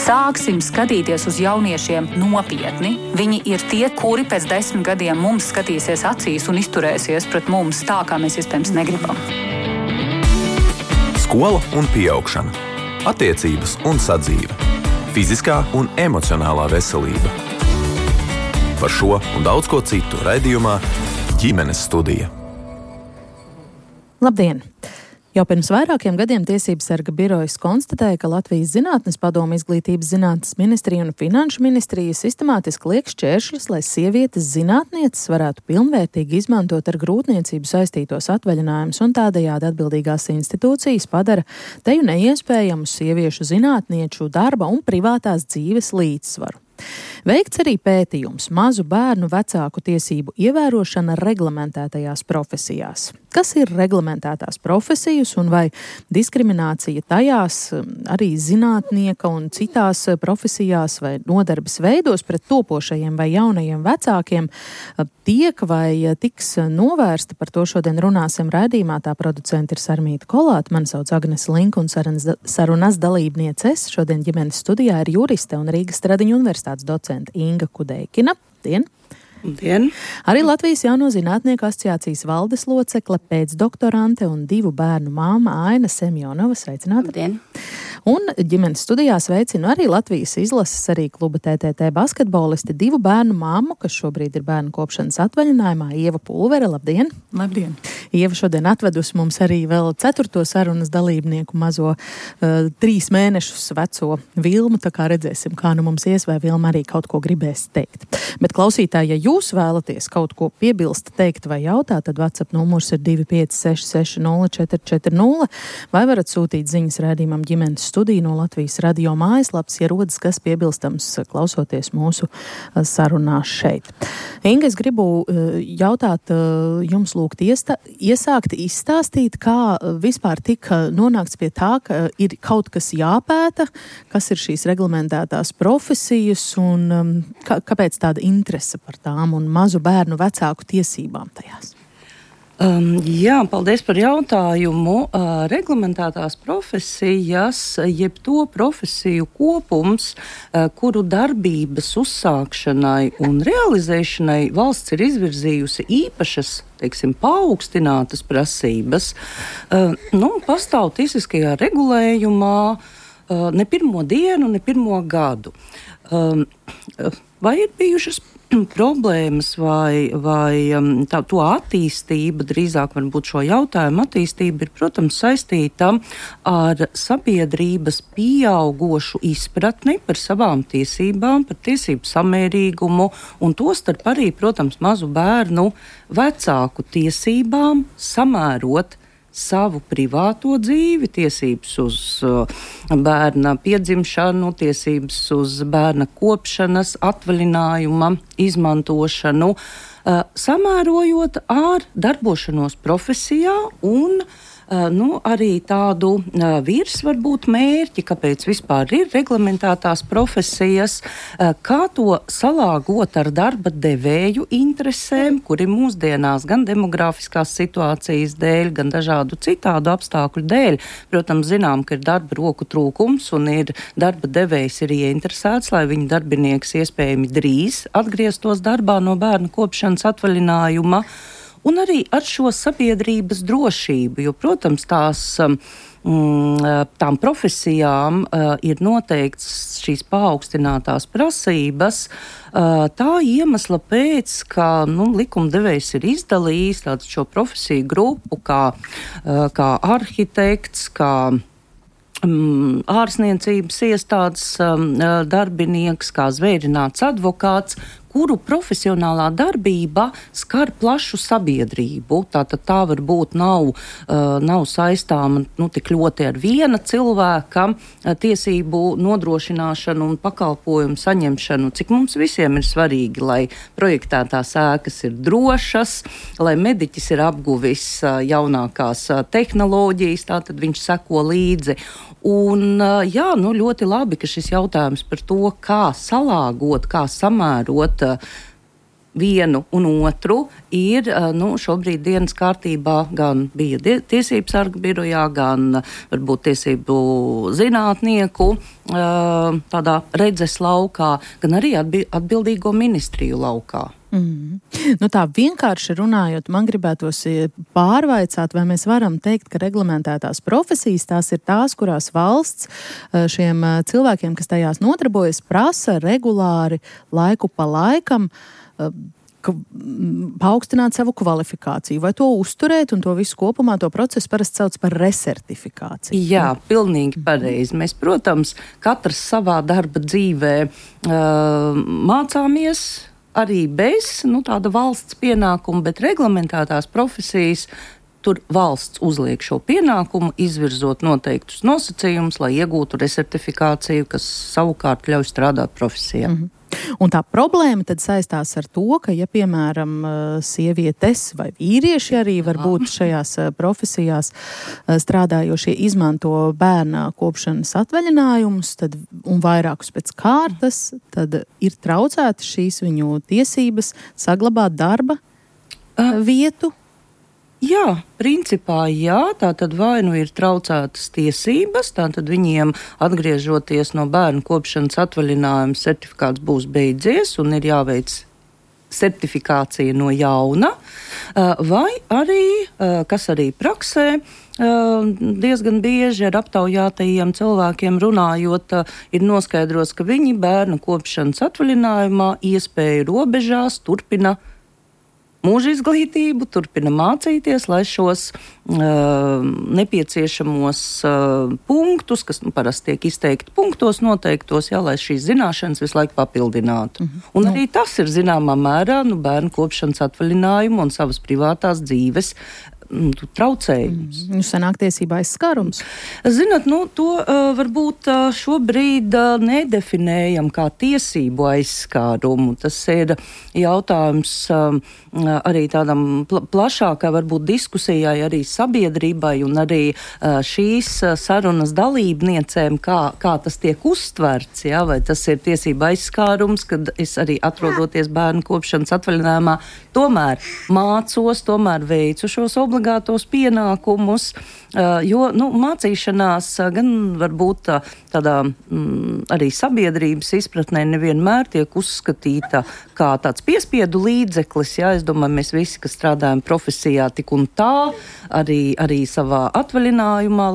Sāksim skatīties uz jauniešiem nopietni. Viņi ir tie, kuri pēc 10 gadiem mums skatīsies acīs un izturēsies pret mums tā, kā mēs iespējams negribam. Skola un pieaugšana. Attiecības un sadzīve. Fiziskā un emocionālā veselība. Par šo un daudz ko citu raidījumā Ģimenes studija. Labdien! Jau pirms vairākiem gadiem Tiesības sarga birojas konstatēja, ka Latvijas Zinātnes padome, Izglītības zinātnes ministrija un Finanšu ministrija sistemātiski liek šķēršļus, lai sievietes zinātnieces varētu pilnvērtīgi izmantot ar grūtniecību saistītos atvaļinājumus, un tādējādi atbildīgās institūcijas padara teju neiespējamu sieviešu zinātnieču darba un privātās dzīves līdzsvaru. Veikts arī pētījums mazu bērnu vecāku tiesību ievērošana reglamentētajās profesijās. Kas ir reglamentētās profesijas un vai diskriminācija tajās arī zinātnieka un citās profesijās vai nodarbes veidos pret topošajiem vai jaunajiem vecākiem tiek vai tiks novērsta? Par to šodien runāsim raidījumā. Tā producente ir Sarmīta Kolāte, mani sauc Agnese Linka un sarunas dalībniece es. Šodien ģimenes studijā ir juriste un Rīgas Stradiņu universitātes docente Inga Kudeikina. Dien! Dien. Arī Latvijas Jauno zinātnieku asociācijas valdes locekle, pēcdoktorante un 2 bērnu māma Aina Semjonova. Sveicināta! Dien. Un ģimenes studijā sveicinu arī Latvijas izlases arī kluba TTT basketbolisti, 2 bērnu māmu, kas šobrīd ir bērnu kopšanas atvaļinājumā, Ieva Pulvere. Labdien! Labdien! Ieva šodien atvedusi mums arī vēl 4. sarunas dalībnieku mazo 3 mēnešus veco Vilmu, tā kā redzēsim, kā nu mums ies, vai Vilma arī kaut ko gribēs teikt. Bet klausītāji, ja jūs vēlaties kaut ko piebilst, teikt vai jautāt, tad WhatsApp numurs ir 25660440, vai varat sūtīt ziņas raidījumam Ģimenes studija no Latvijas radio mājaslapas, ja rodas kas piebilstams klausoties mūsu sarunā šeit. Inga, es gribu jautāt jums lūgt iesākt izstāstīt, kā vispār tika nonākts pie tā, ka ir kaut kas jāpēta, kas ir šīs reglamentētās profesijas un kāpēc tāda interese par tām un mazu bērnu vecāku tiesībām tajās? Jā, paldies par jautājumu. Reglamentētās profesijas, jeb to profesiju kopums, kuru darbības uzsākšanai un realizēšanai valsts ir izvirzījusi īpašas, paaugstinātas prasības, pastāv tiesiskajā regulējumā ne pirmo dienu, ne pirmo gadu. Vai ir bijušas problēmas vai to attīstība, drīzāk varbūt šo jautājumu attīstība ir, protams, saistīta ar sabiedrības pieaugošu izpratni par savām tiesībām, par tiesību samērīgumu un tostarp arī, protams, mazu bērnu vecāku tiesībām samērot savu privāto dzīvi, tiesības uz bērna piedzimšanu, tiesības uz bērna kopšanas, atvaļinājuma izmantošanu, samērojot ar darbošanos profesijā un arī tādu varbūt mērķi, kāpēc vispār ir reglamentētās profesijas, kā to salāgot ar darba devēju interesēm, kuri mūsdienās gan demografiskās situācijas dēļ, gan dažādu citādu apstākļu dēļ, protams, zinām, ka ir darba roku trūkums un ir darba devējs ir ieinteresēts, lai viņa darbinieks iespējami drīz atgrieztos darbā no bērna kopšanas atvaļinājuma. Un arī ar šo sabiedrības drošību, jo, protams, tām profesijām ir noteikts šīs paaugstinātās prasības, tā iemesla pēc, ka likumdevējs ir izdalījis tādu šo profesiju grupu kā arhitekts, kā ārsniecības iestādes darbinieks, kā zvērināts advokāts, kuru profesionālā darbība skar plašu sabiedrību. Tātad tā varbūt nav saistāma tik ļoti ar viena cilvēka tiesību nodrošināšanu un pakalpojumu saņemšanu, cik mums visiem ir svarīgi, lai projektētās ēkas ir drošas, lai mediķis ir apguvis jaunākās tehnoloģijas, tātad viņš seko līdzi. Un ļoti labi, ka šis jautājums par to, kā salāgot, kā samērot vienu un otru ir šobrīd dienas kārtībā gan bija tiesību sarga birojā, gan varbūt tiesību zinātnieku tādā redzes laukā, gan arī atbildīgo ministriju laukā. Tā vienkārši runājot, man gribētos pārvaicāt, vai mēs varam teikt, ka reglamentētās profesijas tās ir tās, kurās valsts šiem cilvēkiem, kas tajās nodarbojas, prasa regulāri laiku pa laikam paaugstināt savu kvalifikāciju, vai to uzturēt, un to visu kopumā, to procesu parasti sauc par resertifikāciju. Jā, pilnīgi pareizi. Mēs, protams, katrs savā darba dzīvē mācāmies arī bez tāda valsts pienākuma, bet reglamentētās profesijas tur valsts uzliek šo pienākumu, izvirzot noteiktus nosacījumus, lai iegūtu resertifikāciju, kas savukārt ļauj strādāt profesijā. Un tā problēma tad saistās ar to, ka, ja, piemēram, sievietes vai vīrieši arī varbūt šajās profesijās strādājošie izmanto bērna kopšanas atvaļinājumus un vairākus pēc kārtas, tad ir traucētas šīs viņu tiesības saglabāt darba vietu. Jā, principā jā, tātad vai ir traucētas tiesības, tātad viņiem atgriežoties no bērnu kopšanas atvaļinājuma certifikāts būs beidzies un ir jāveic certifikācija no jauna, vai arī, kas arī praksē, diezgan bieži ar aptaujātajiem cilvēkiem runājot, ir noskaidrots, ka viņi bērnu kopšanas atvaļinājumā iespēju robežās turpina mūža izglītību, turpina mācīties, lai šos nepieciešamos punktus, kas parasti tiek izteikti punktos noteiktos, lai šīs zināšanas visu laiku papildinātu. Un arī tas ir zināmā mērā bērnu kopšanas atvaļinājumu un savas privātās dzīves traucējums. Sanāk tiesībā aizskārums. Zināt, to varbūt šobrīd nedefinējam kā tiesību aizskārumu. Tas ir jautājums arī tādam plašākai varbūt diskusijai arī sabiedrībai un arī šīs sarunas dalībniecēm, kā tas tiek uztverts, vai tas ir tiesība aizskārums, kad es arī atrodoties bērnu kopšanas atvaļinājumā, tomēr mācos, tomēr veicu šos obligātos pienākumus, jo mācīšanās gan varbūt tādā arī sabiedrības izpratnē nevienmēr tiek uzskatīta kā tāds piespiedu līdzeklis. Es domāju, mēs visi, kas strādājam profesijā tik un tā, arī savā atvaļinājumā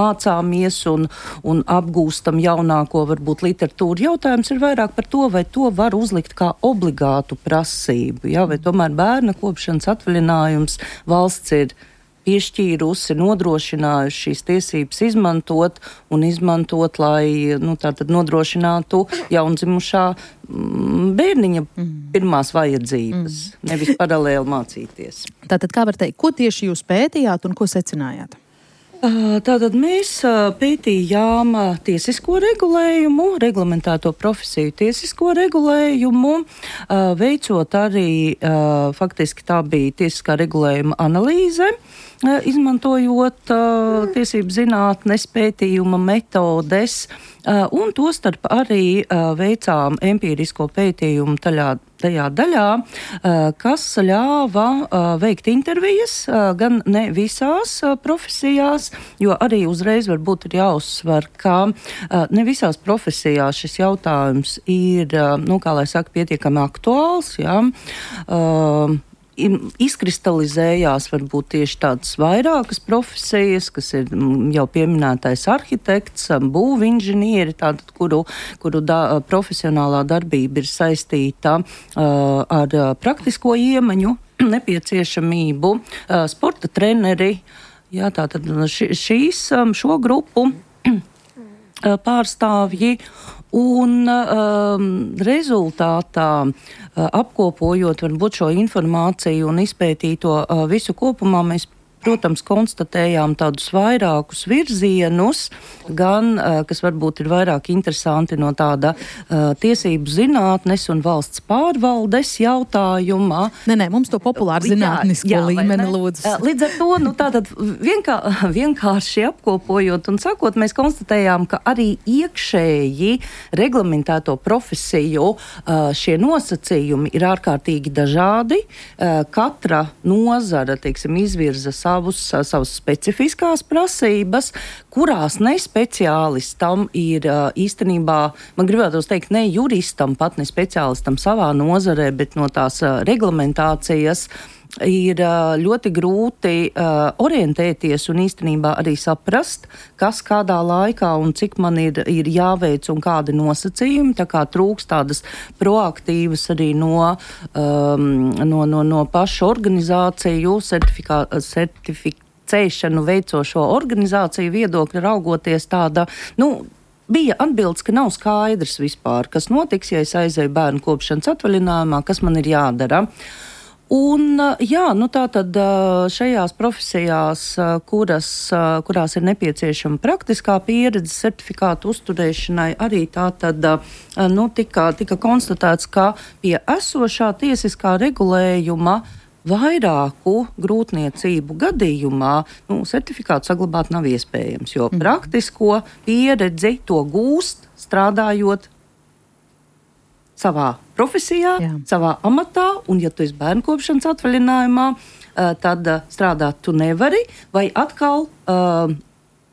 mācāmies un apgūstam jaunāko varbūt literatūru. Jautājums ir vairāk par to, vai to var uzlikt kā obligātu prasību, vai tomēr bērna kopšanas atvaļinājums valsts ir piešķīrusi, nodrošinājusi šīs tiesības izmantot, lai tātad nodrošinātu jaundzimušā bērniņa pirmās vajadzības, nevis paralēli mācīties. Tātad, kā var teikt, ko tieši jūs pētījāt un ko secinājāt? Tātad mēs pētījām tiesisko regulējumu, reglamentēto profesiju tiesisko regulējumu, veicot arī, faktiski tā bija tiesiskā regulējuma analīze, izmantojot tiesību zinātnes pētījuma metodes, un tostarp arī veicām empīrisko pētījumu tajā daļā, kas ļāva veikt intervijas, gan ne visās profesijās, jo arī uzreiz varbūt ir jāuzsver, ka ne visās profesijās šis jautājums ir, kā lai saka, pietiekami aktuāls, izkristalizējās varbūt tieši tādas vairākas profesijas, kas ir jau pieminētais arhitekts, būvinženieri, kuru profesionālā darbība ir saistīta ar praktisko iemaņu nepieciešamību, sporta treneri, tātad šo grupu pārstāvji. Un rezultātā, apkopojot varbūt šo informāciju un izpētīto visu kopumā, mēs protams, konstatējām tādus vairākus virzienus, gan, kas varbūt ir vairāk interesanti no tāda tiesību zinātnes un valsts pārvaldes jautājumā. Nē, mums to populāru zinātnisko līmeni lūdzu. Līdz ar to, tātad vienkārši apkopojot un sakot, mēs konstatējām, ka arī iekšēji reglamentēto profesiju šie nosacījumi ir ārkārtīgi dažādi. Katra nozara, izvirza savas specifiskās prasības, kurās ne speciālistam ir īstenībā, man gribētos teikt, ne juristam, pat ne speciālistam savā nozarē, bet no tās reglamentācijas ir ļoti grūti orientēties un īstenībā arī saprast, kas kādā laikā un cik man ir jāveic un kādi nosacījumi, tā kā trūks tādas proaktīvas arī no pašu organizāciju certificēšanu veicošo organizāciju viedokļa raugoties tāda, bija atbildes, ka nav skaidrs vispār, kas notiks, ja es aizēju bērnu kopšanas atvaļinājumā, kas man ir jādara. Un, tātad šajās profesijās, kurās ir nepieciešama praktiskā pieredze certifikātu uzturēšanai, arī tātad tika konstatēts, ka pie esošā tiesiskā regulējuma vairāku grūtniecību gadījumā certifikātu saglabāt nav iespējams, jo praktisko pieredzi to gūst strādājot savā profesijā, savā amatā, un ja tu esi bērnu kopšanas atvaļinājumā, tad strādāt tu nevari, vai atkal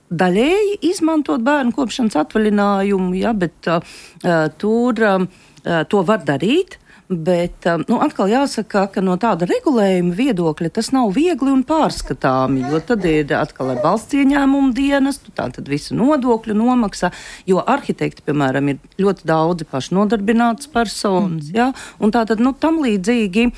daļēji izmantot bērnu kopšanas atvaļinājumu, bet tur to var darīt. Bet atkal jāsaka, ka no tāda regulējuma viedokļa tas nav viegli un pārskatāmi, jo tad ir atkal ar valsts ieņēmumu dienestu, tātad visu nodokļu nomaksa, jo arhitekti, piemēram, ir ļoti daudzi pašnodarbinātas personas, un tātad, tam līdzīgi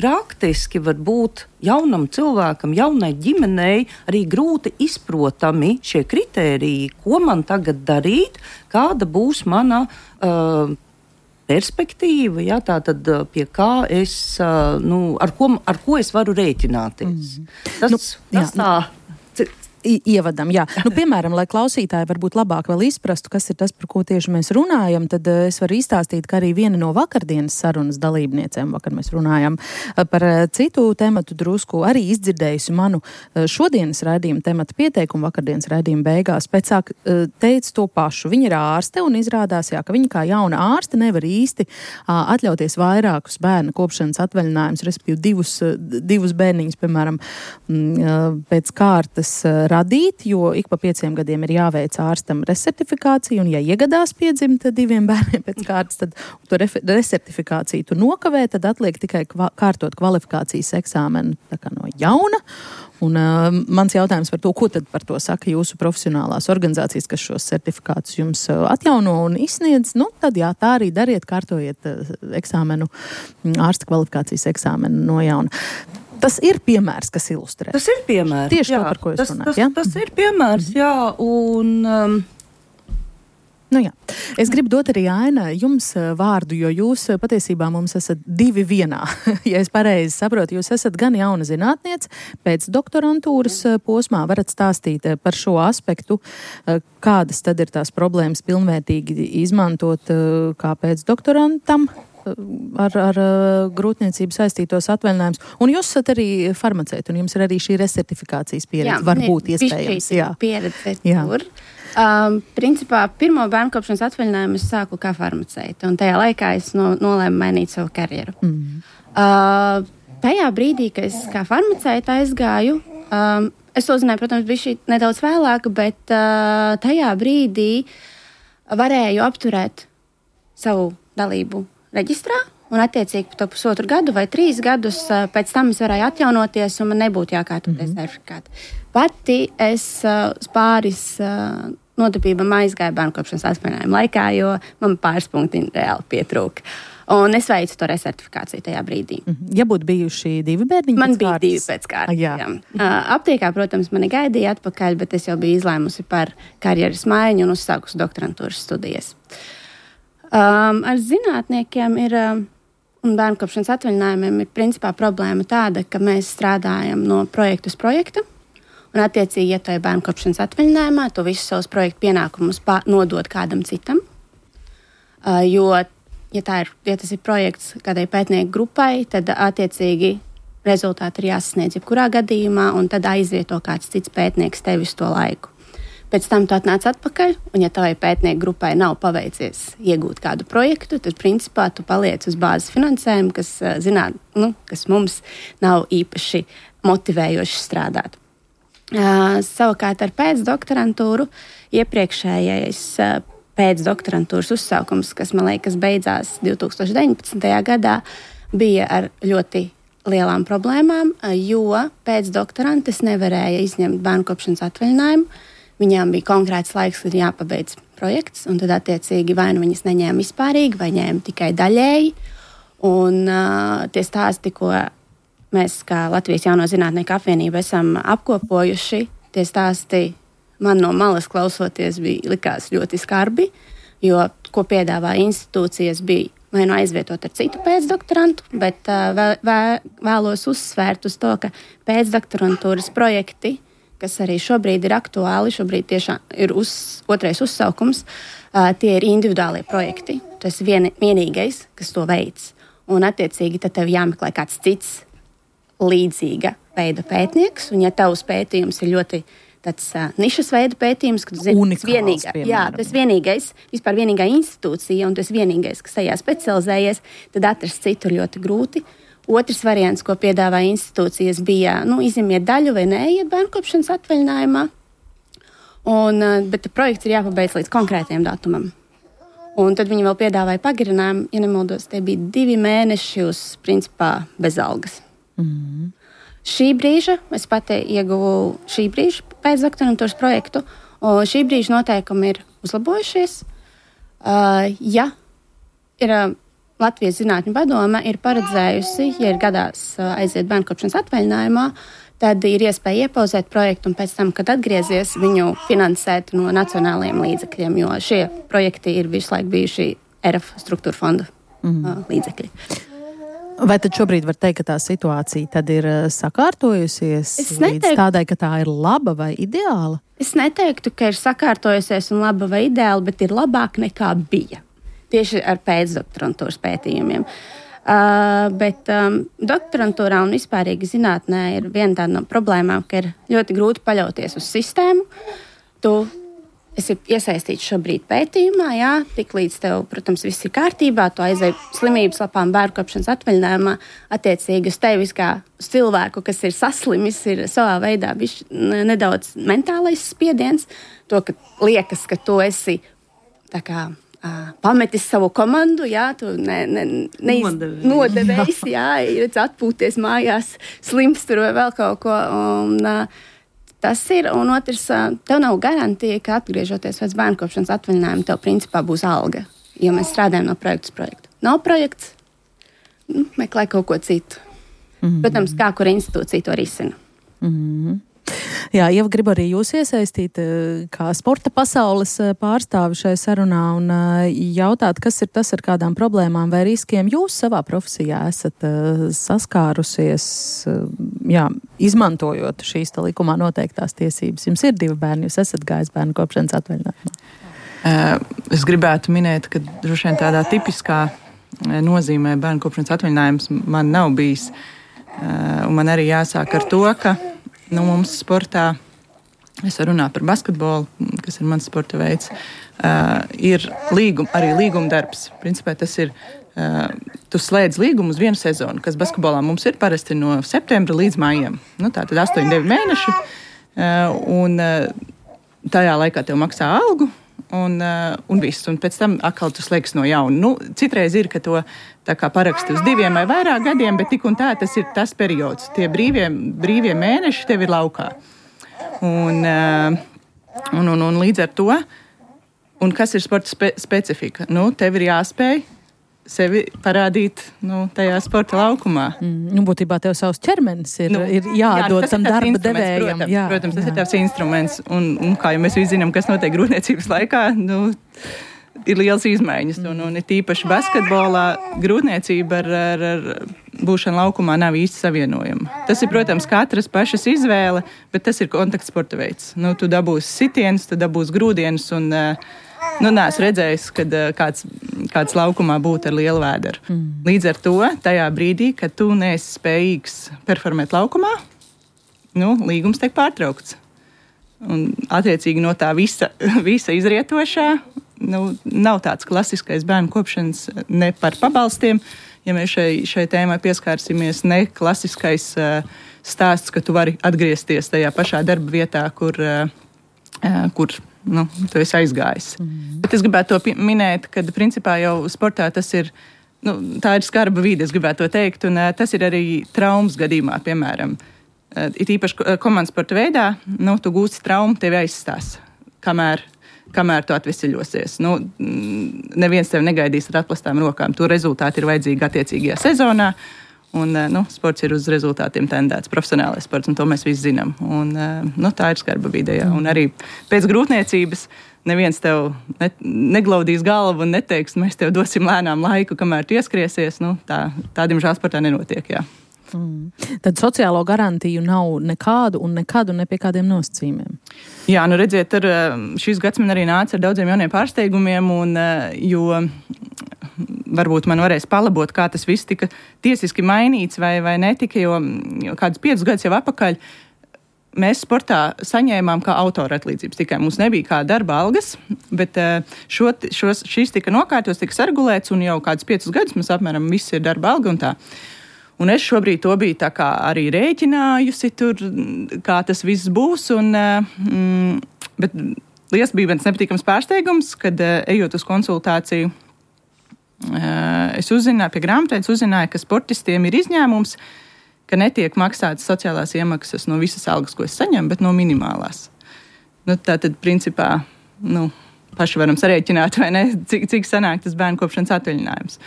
praktiski var būt jaunam cilvēkam, jaunai ģimenei arī grūti izprotami šie kritēriji, ko man tagad darīt, kāda būs mana perspektīva, tātad pie kā es, ar ko es varu rēķināties. Tas tā. Ievadam, piemēram, lai klausītāji varbūt labāk vēl izprastu, kas ir tas, par ko tieši mēs runājam, tad es varu izstāstīt, ka arī viena no vakardienas sarunas dalībniecēm, vakar mēs runājam par citu tematu drusku, arī izdzirdējusi manu šodienas raidījuma tematu pieteikumu vakardienas raidījuma beigās, pēc sāk teica to pašu. Viņa ir ārste un izrādās, ka viņa kā jauna ārste nevar īsti atļauties vairākus bērnu kopšanas atvaļinājumus, respektīvi divus bērniņus, piemēram, pēc kārtas radīt, jo ik pa 5 gadiem ir jāveic ārstam resertifikācija, un ja iegadās piedzimt 2 bērniem pēc kārtas, tad to resertifikāciju tu nokavē, tad atliek tikai kārtot kvalifikācijas eksāmenu tā kā no jauna. Un mans jautājums par to, ko tad par to saka jūsu profesionālās organizācijas, kas šos certifikātus jums atjauno un izsniedz, tad tā arī dariet, kārtojiet eksāmenu, ārsta kvalifikācijas eksāmenu no jauna. Tas ir piemērs, kas ilustrē. Tas ir piemērs. Tieši to, par ko jūs runājat. Tas ir piemērs, un... Es gribu dot arī Aina jums vārdu, jo jūs patiesībā mums esat 2 vienā. Ja es pareizi saprotu, jūs esat gan jauna zinātniece, pēc doktorantūras posmā varat stāstīt par šo aspektu, kādas tad ir tās problēmas pilnvērtīgi izmantot kā pēc doktorantam ar grūtniecību saistītos atvaļinājumus. Un jūs esat arī farmaceiti, un jums ir arī šī resertifikācijas pieredze. Varbūt iespējams. Pieredze tur. Principā pirmo bērnkopšanas atvaļinājumu es sāku kā farmaceite, un tajā laikā es nolēmu mainīt savu karjeru. Tajā brīdī, kad es kā farmaceite aizgāju, es to zināju, protams, bija nedaudz vēlāk, bet tajā brīdī varēju apturēt savu dalību reģistrā, un attiecīgi to 1,5 gadu vai 3 gadus pēc tam es varēju atjaunoties, un man nebūtu jākārtoties certifikāti. Pati es pāris nodarbībām aizgāju bērnkopšanas atvaļinājumu laikā, jo man pāris punkti reāli pietrūka. Un es veicu to resertifikāciju tajā brīdī. Ja būtu bijuši 2 bērniņi man bija 2 pēc kārtas. Aptiekā, protams, mani gaidīja atpakaļ, bet es jau biju izlēmusi par karjeras maiņu un uzsākusi doktorantūras studijas. Ar zinātniekiem ir un bērnu kopšanas atvaļinājumiem ir principā problēma tāda, ka mēs strādājam no projekta uz projektu. Un, attiecīgi, ja tu ej bērnu kopšanas atvaļinājumā, tu visus savus projektu pienākumus nodod kādam citam. Jo, ja tas ir projekts kādai pētnieku grupai, tad, attiecīgi, rezultāti ir jāsasniedz jebkurā gadījumā, un tad aizvieto kāds cits pētnieks tevi uz to laiku. Pēc tam tu atnāc atpakaļ, un ja tavai pētnieku grupai nav paveicies iegūt kādu projektu, tad, principā, tu paliec uz bāzes finansējumu, kas mums nav īpaši motivējoši strādāt. Savukārt ar pēcdoktorantūru iepriekšējais pēcdoktorantūras uzsaukums, kas, man liekas, beidzās 2019. gadā, bija ar ļoti lielām problēmām, jo pēcdoktorantes nevarēja izņemt bērnu kopšanas atvaļinājumu. Viņām bija konkrēts laiks, kad jāpabeidz projekts, un tad, attiecīgi, vai nu viņas neņēma vispārīgi, vai ņēma tikai daļēji. Un tie stāsti, ko mēs, kā Latvijas Jauno zinātnieku apvienība, esam apkopojuši, tie stāsti man no malas klausoties likās ļoti skarbi, jo, ko piedāvā institūcijas, bija vai nu aizvietot ar citu pēcdoktorantu, bet vēlos uzsvērt uz to, ka pēcdoktorantūras projekti, kas arī šobrīd ir aktuāli, šobrīd tiešām ir otrais uzsaukums, tie ir individuālie projekti. Tas ir vienīgais, kas to veids. Un, attiecīgi, tad tev jāmeklē kāds cits līdzīga veida pētnieks, un ja tavs pētījums ir ļoti tāds nišas veida pētījums, ka tu zini, tas vienīgais, vispār vienīgā institūcija, un tas vienīgais, kas tajā specializējies, tad atrast citu ir ļoti grūti. Otrs variants, ko piedāvā institūcijas, bija, izņemiet daļu vai neiet bērnu kopšanas atvaļinājumā, bet projekts ir jāpabeidz līdz konkrētiem datumam. Un tad viņi vēl piedāvāja pagarinājumu, ja nemaldos, tie bija 2 mēneši uz, principā, bez algas. Mm-hmm. Šī brīža, es pati ieguvu šī brīža pēcdoktorantūras projektu, un šī brīža noteikumi ir uzlabojušies. Ja ir Latvijas Zinātņu padome ir paredzējusi, ja ir gadās aiziet bērnu kopšanas atvaļinājumā, tad ir iespēja iepauzēt projektu un pēc tam, kad atgriezies, viņu finansēt no nacionālajiem līdzekļiem, jo šie projekti ir visu laiku bijuši ERF struktūra fonda līdzekļi. Vai tad šobrīd var teikt, ka tā situācija tad ir sakārtojusies līdz tādai, ka tā ir laba vai ideāla? Es neteiktu, ka ir sakārtojusies un laba vai ideāla, bet ir labāk nekā bija. Tieši ar pēcdoktorantūras pētījumiem. Bet doktorantūrā un vispārīgi zinātnē ir viena tāda no problēmām, ka ir ļoti grūti paļauties uz sistēmu. Tu esi iesaistīts šobrīd pētījumā, jā, tik līdz tev, protams, viss ir kārtībā, tu aizēji slimības lapām bērnu kopšanas atvaļinājumā, attiecīgi uz tevis kā uz cilvēku, kas ir saslimis, ir savā veidā nedaudz mentālais spiediens, to, ka liekas, ka tu esi tā kā pametis savu komandu, jā, tu nodevējis, jā, atpūties mājās, slims tur vai vēl kaut ko, un tas ir, un otrs, tev nav garantija, ka atgriežoties pēc bērnu kopšanas atvaļinājuma, tev principā būs alga, jo mēs strādājam no projekta uz projektu. Nav projekts, meklē kaut ko citu. Protams, kā kura institūcija to risina. Jā, Ieva, gribu arī jūs iesaistīt kā sporta pasaules pārstāvi šai sarunā un jautāt, kas ir tas, ar kādām problēmām vai riskiem jūs savā profesijā esat saskārusies, jā, izmantojot šīs likumā noteiktās tiesības. Jums ir 2 bērni, jūs esat gājis bērnu kopšanas atvaļinājumā. Es gribētu minēt, ka droši vien tādā tipiskā nozīmē bērnu kopšanas atvaļinājums man nav bijis. Un man arī jāsāk ar to, ka mums sportā, es varu runāt par basketbolu, kas ir mans sporta veids, ir arī līguma darbs. Principā tas ir, tu slēdz līgumu uz 1 sezonu, kas basketbolā mums ir parasti no septembra līdz maijam. Tātad 8-9 mēneši, un tajā laikā tev maksā algu, un viss. Un pēc tam atkal tu slēgs no jauna. Citreiz ir, ka to tā kā paraksti uz 2 vai vairāk gadiem, bet tik un tā tas ir tas periods. Tie brīvie mēneši tev ir laukā. Un līdz ar to, un kas ir sporta specifika? Tev ir jāspēj sevi parādīt tajā sporta laukumā. Būtībā tev savs ķermenis ir jādod tam darba devējam. Protams, tas ir tavs instruments. Un kā jau mēs visi zinām, kas notiek grūtniecības laikā, ir liels izmaiņas. Un ir tīpaši basketbolā grūtniecība ar būšanu laukumā nav īsti savienojama. Tas ir, protams, katras pašas izvēle, bet tas ir kontaktsporta veids. Tu dabūsi sitienus, tu dabūsi grūdienus un neesmu redzējis, kad kāds laukumā būtu ar lielu vēderu. Līdz ar to, tajā brīdī, kad tu neesi spējīgs performēt laukumā, līgums tiek pārtraukts. Un attiecīgi no tā visa izrietošā, nav tāds klasiskais bērnu kopšanas ne par pabalstiem. Ja mēs šai tēmai pieskārsimies, ne klasiskais stāsts, ka tu vari atgriezties tajā pašā darba vietā, kur tu esi aizgājis. Bet es gribētu to minēt, ka principā jau sportā tas ir, tā ir skarba vide, es gribētu to teikt, un tas ir arī traumas gadījumā, piemēram. It īpaši komandas sporta veidā, tu gūsi traumu, tevi aizstās, kamēr tu atveseļosies. Neviens tevi negaidīs ar atplastām rokām. To rezultāti ir vajadzīgi attiecīgajā sezonā. Un, sports ir uz rezultātiem tendēts, profesionālais sports, un to mēs visi zinām. Un, tā ir skarba vide. Un arī pēc grūtniecības neviens tev neglaudīs galvu un neteiks, mēs tev dosim lēnām laiku, kamēr tu ieskriesies. Tā diemžēl sportā nenotiek, jā. Tad sociālo garantiju nav nekādu un nekad un ne pie kādiem nosacījumiem. Jā, redziet, šis gads man arī nāca ar daudziem jauniem pārsteigumiem, jo varbūt man varēs palabot, kā tas viss tika tiesiski mainīts vai netika, jo kādus 5 gadus jau atpakaļ mēs sportā saņēmām kā autora atlīdzības. Tikai mums nebija kā darba algas, bet šīs tika nokārtos, tika sargulēts, un jau kādus 5 gadus mums apmēram viss ir darba alga un tā. Un es šobrīd to biju tā kā arī rēķinājusi tur, kā tas viss būs. Bet liels bija viens nepatīkams pārsteigums, kad ejot uz konsultāciju, es uzzināju, pie grāmatvedības uzzināju, ka sportistiem ir izņēmums, ka netiek maksātas sociālās iemaksas no visas algas, ko es saņemu, bet no minimālās. Tātad, principā, paši varam sarēķināt, vai ne, cik sanāk tas bērnu kopšanas atvaļinājums.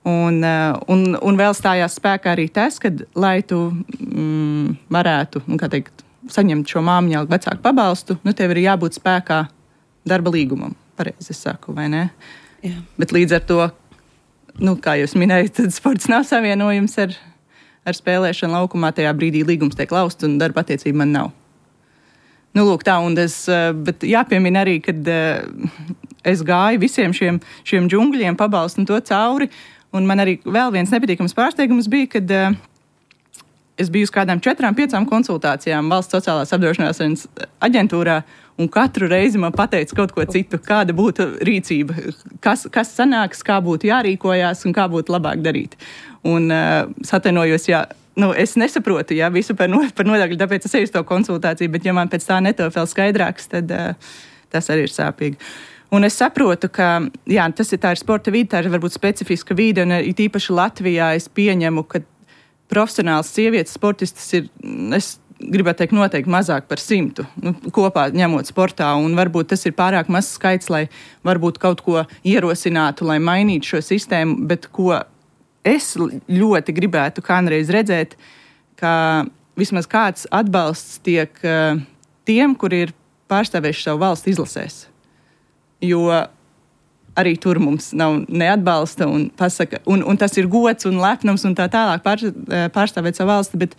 Un vēl stājās spēkā arī tas, ka, lai tu varētu, saņemt šo māmiņu algu vecāku pabalstu, tev ir jābūt spēkā darba līgumam, pareizi es saku, vai ne? Jā. Bet līdz ar to, kā jūs minējat, tad sports nav savienojums ar spēlēšanu laukumā, tajā brīdī līgums tiek lausts un darba attiecība man nav. Lūk tā, bet jāpiemina arī, kad es gāju visiem šiem džungļiem, pabalstu un to cauri. Un man arī vēl viens nepatīkams pārsteigums bija, kad es biju uz kādām 4-5 konsultācijām Valsts sociālās apdrošināšanas aģentūrā, un katru reizi man pateica kaut ko citu, kāda būtu rīcība, kas sanāks, kā būtu jārīkojās un kā būtu labāk darīt. Un atvainojos, es nesaprotu, visu par nodokļu, tāpēc es eju uz to konsultāciju, bet ja man pēc tā netop vēl skaidrāks, tad tas arī ir sāpīgi. Un es saprotu, ka tā ir sporta vide, tā ir varbūt specifiska vide, un īpaši Latvijā es pieņemu, ka profesionāls sievietes sportistas ir, es gribētu teikt, noteikti mazāk par 100 kopā ņemot sportā, un varbūt tas ir pārāk mazs skaits, lai varbūt kaut ko ierosinātu, lai mainītu šo sistēmu, bet ko es ļoti gribētu kādreiz redzēt, ka vismaz kāds atbalsts tiek tiem, kuri ir pārstāvējuši savu valsti izlasēs. Jo arī tur mums nav neatbalsta un pasaka, un tas ir gods un lepnums un tā tālāk pārstāvēt savu valsti, bet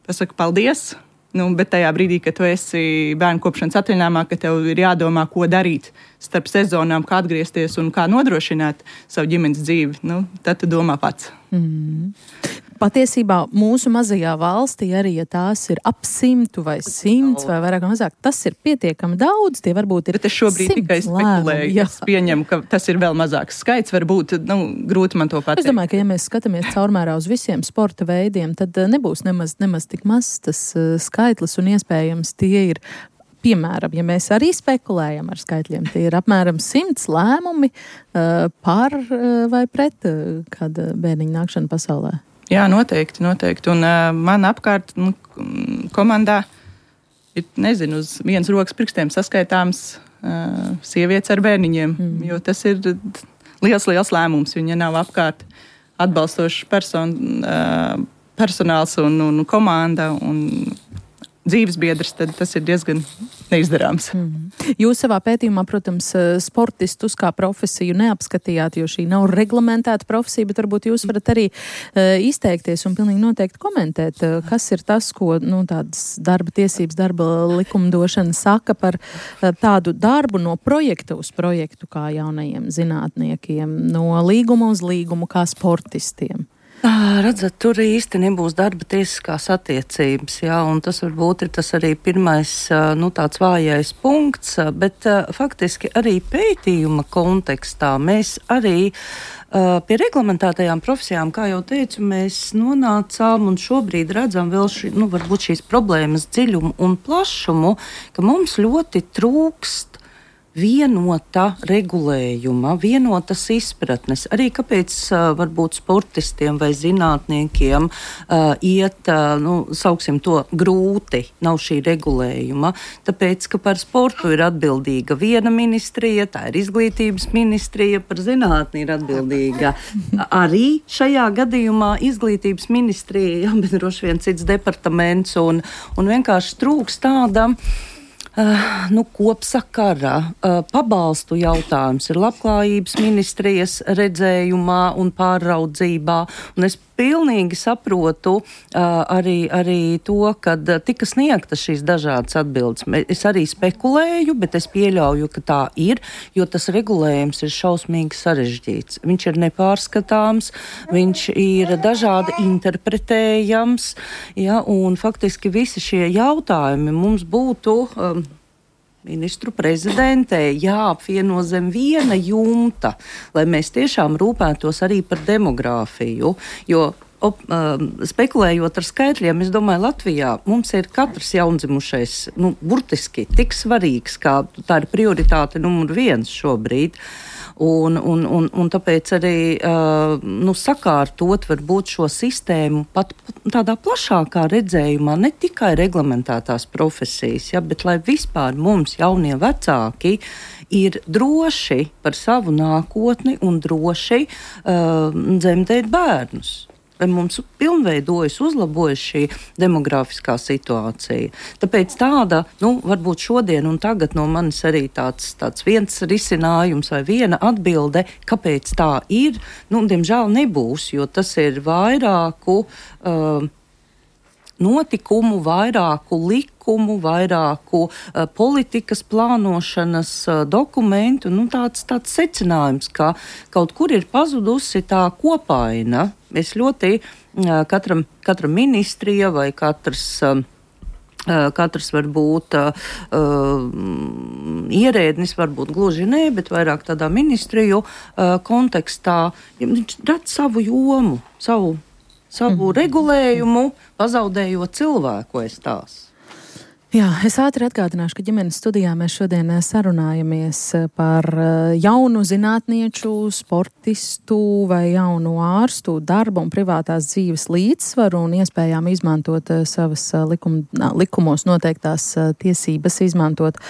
pasaka paldies, bet tajā brīdī, kad tu esi bērnu kopšanas atvaļinājumā, ka tev ir jādomā, ko darīt starp sezonām, kā atgriezties un kā nodrošināt savu ģimenes dzīvi, tad tu domā pats. Patiesībā mūsu mazajā valstī arī, ja tās ir ap 100 vai 100 vai vairāk vai mazāk, tas ir pietiekami daudz, tie varbūt ir 100 lēmumi. Bet es šobrīd tikai spekulēju, es pieņemu, ka tas ir vēl mazāks skaits, varbūt, grūti man to pateikt. Es domāju, ka ja mēs skatāmies caurmērā uz visiem sporta veidiem, tad nebūs nemaz tik mazs tas skaitlis un iespējams tie ir, piemēram, ja mēs arī spekulējam ar skaitļiem, tie ir apmēram 100 lēmumi par vai pret kāda bērniņa nākšana pasaulē. Jā, noteikti. Un man apkārt komandā ir, uz vienas rokas pirkstiem saskaitāms sievietes ar bērniņiem, jo tas ir liels lēmums. Viņa nav apkārt atbalstošs personāls un komanda un dzīvesbiedrs, tad tas ir diezgan neizdarāms. Jūs savā pētījumā, protams, sportistus kā profesiju neapskatījāt, jo šī nav reglamentēta profesija, bet varbūt jūs varat arī izteikties un pilnīgi noteikti komentēt, kas ir tas, ko tādas darba tiesības, darba likumdošana saka par tādu darbu no projekta uz projektu kā jaunajiem zinātniekiem, no līguma uz līgumu kā sportistiem. Redzat, tur īsti nebūs darba tiesiskās attiecības, jā, un tas varbūt ir tas arī pirmais, tāds vājais punkts, bet faktiski arī pētījuma kontekstā mēs arī pie reglamentētajām profesijām, kā jau teicu, mēs nonācām un šobrīd redzam vēl varbūt šīs problēmas dziļumu un plašumu, ka mums ļoti trūkst vienota regulējuma, vienotas izpratnes. Arī kāpēc varbūt sportistiem vai zinātniekiem iet, sauksim to, grūti nav šī regulējuma. Tāpēc, ka par sportu ir atbildīga viena ministrija, tā ir izglītības ministrija, par zinātni ir atbildīga arī šajā gadījumā izglītības ministrija, jā, bet droši vien cits departaments un vienkārši trūks tāda kopsakara, pabalstu jautājums ir labklājības ministrijas redzējumā un pārraudzībā, un es pilnīgi saprotu arī to, kad tika sniegtas šīs dažādas atbildes. Es arī spekulēju, bet es pieļauju, ka tā ir, jo tas regulējums ir šausmīgi sarežģīts. Viņš ir nepārskatāms, viņš ir dažādi interpretējams, ja, un faktiski visi šie jautājumi mums būtu ministru prezidentē jāapvieno zem viena jumta, lai mēs tiešām rūpētos arī par demogrāfiju, jo spekulējot ar skaitļiem, es domāju, Latvijā mums ir katrs jaundzimušais, burtiski tik svarīgs, kā tā ir prioritāte numur 1 šobrīd. Un tāpēc arī sakārtot varbūt šo sistēmu pat tādā plašākā redzējumā, ne tikai reglamentētās profesijas, ja, bet lai vispār mums jaunie vecāki ir droši par savu nākotni un droši dzemdēt bērnus. Lai mums pilnveidojas, uzlabojas šī demografiskā situācija. Tāpēc tāda, varbūt šodien un tagad no manis arī tāds viens risinājums vai viena atbilde, kāpēc tā ir, diemžēl nebūs, jo tas ir vairāku notikumu, vairāku likumu, vairāku politikas plānošanas dokumentu, tāds secinājums, ka kaut kur ir pazudusi tā kopaina. Mēs ļoti katra ministrija vai katrs varbūt ierēdnis, varbūt gluži ne, bet vairāk tādā ministriju kontekstā, viņš redz savu jomu, savu regulējumu, pazaudējot cilvēku aiz tās. Jā, es ātri atgādināšu, ka ģimenes studijā mēs šodien sarunājamies par jaunu zinātnieču, sportistu vai jaunu ārstu darbu un privātās dzīves līdzsvaru un iespējām izmantot savas likumos noteiktās tiesības, izmantot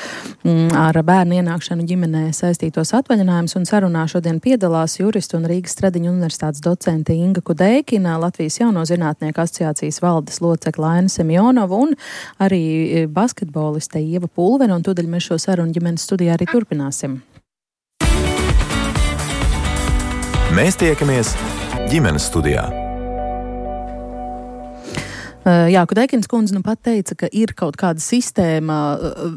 ar bērnu ienākšanu ģimenē saistītos atvaļinājumus. Un sarunā šodien piedalās juristu un Rīgas Stradiņu universitātes docente Inga Kudeikina, Latvijas jauno zinātnieku asociācijas valdes locekle Aina Semjonova un arī basketboliste Ieva Pulvere, un tūdaļ mēs šo sarunu ģimenes studijā arī turpināsim. Mēs tiekamies ģimenes studijā. Jā, Kudeikins kundze pat teica, ka ir kaut kāda sistēma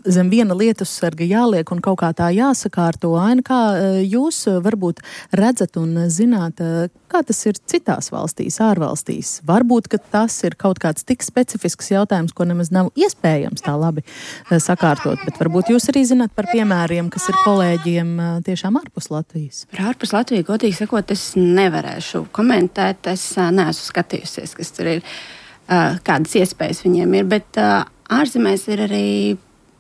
zem viena lietussarga jāliek un kaut kā tā jāsakārto. Aina, kā jūs varbūt redzat un zināt, kā tas ir citās valstīs, ārvalstīs? Varbūt, ka tas ir kaut kāds tik specifisks jautājums, ko nemaz nav iespējams tā labi sakārtot, bet varbūt jūs arī zināt par piemēriem, kas ir kolēģiem tiešām ārpus Latvijas. Par ārpus Latviju, godīgi sakot, es nevarēšu komentēt, es neesmu skatījusies, kas tur ir. Kādas iespējas viņiem ir, bet ārzemēs ir arī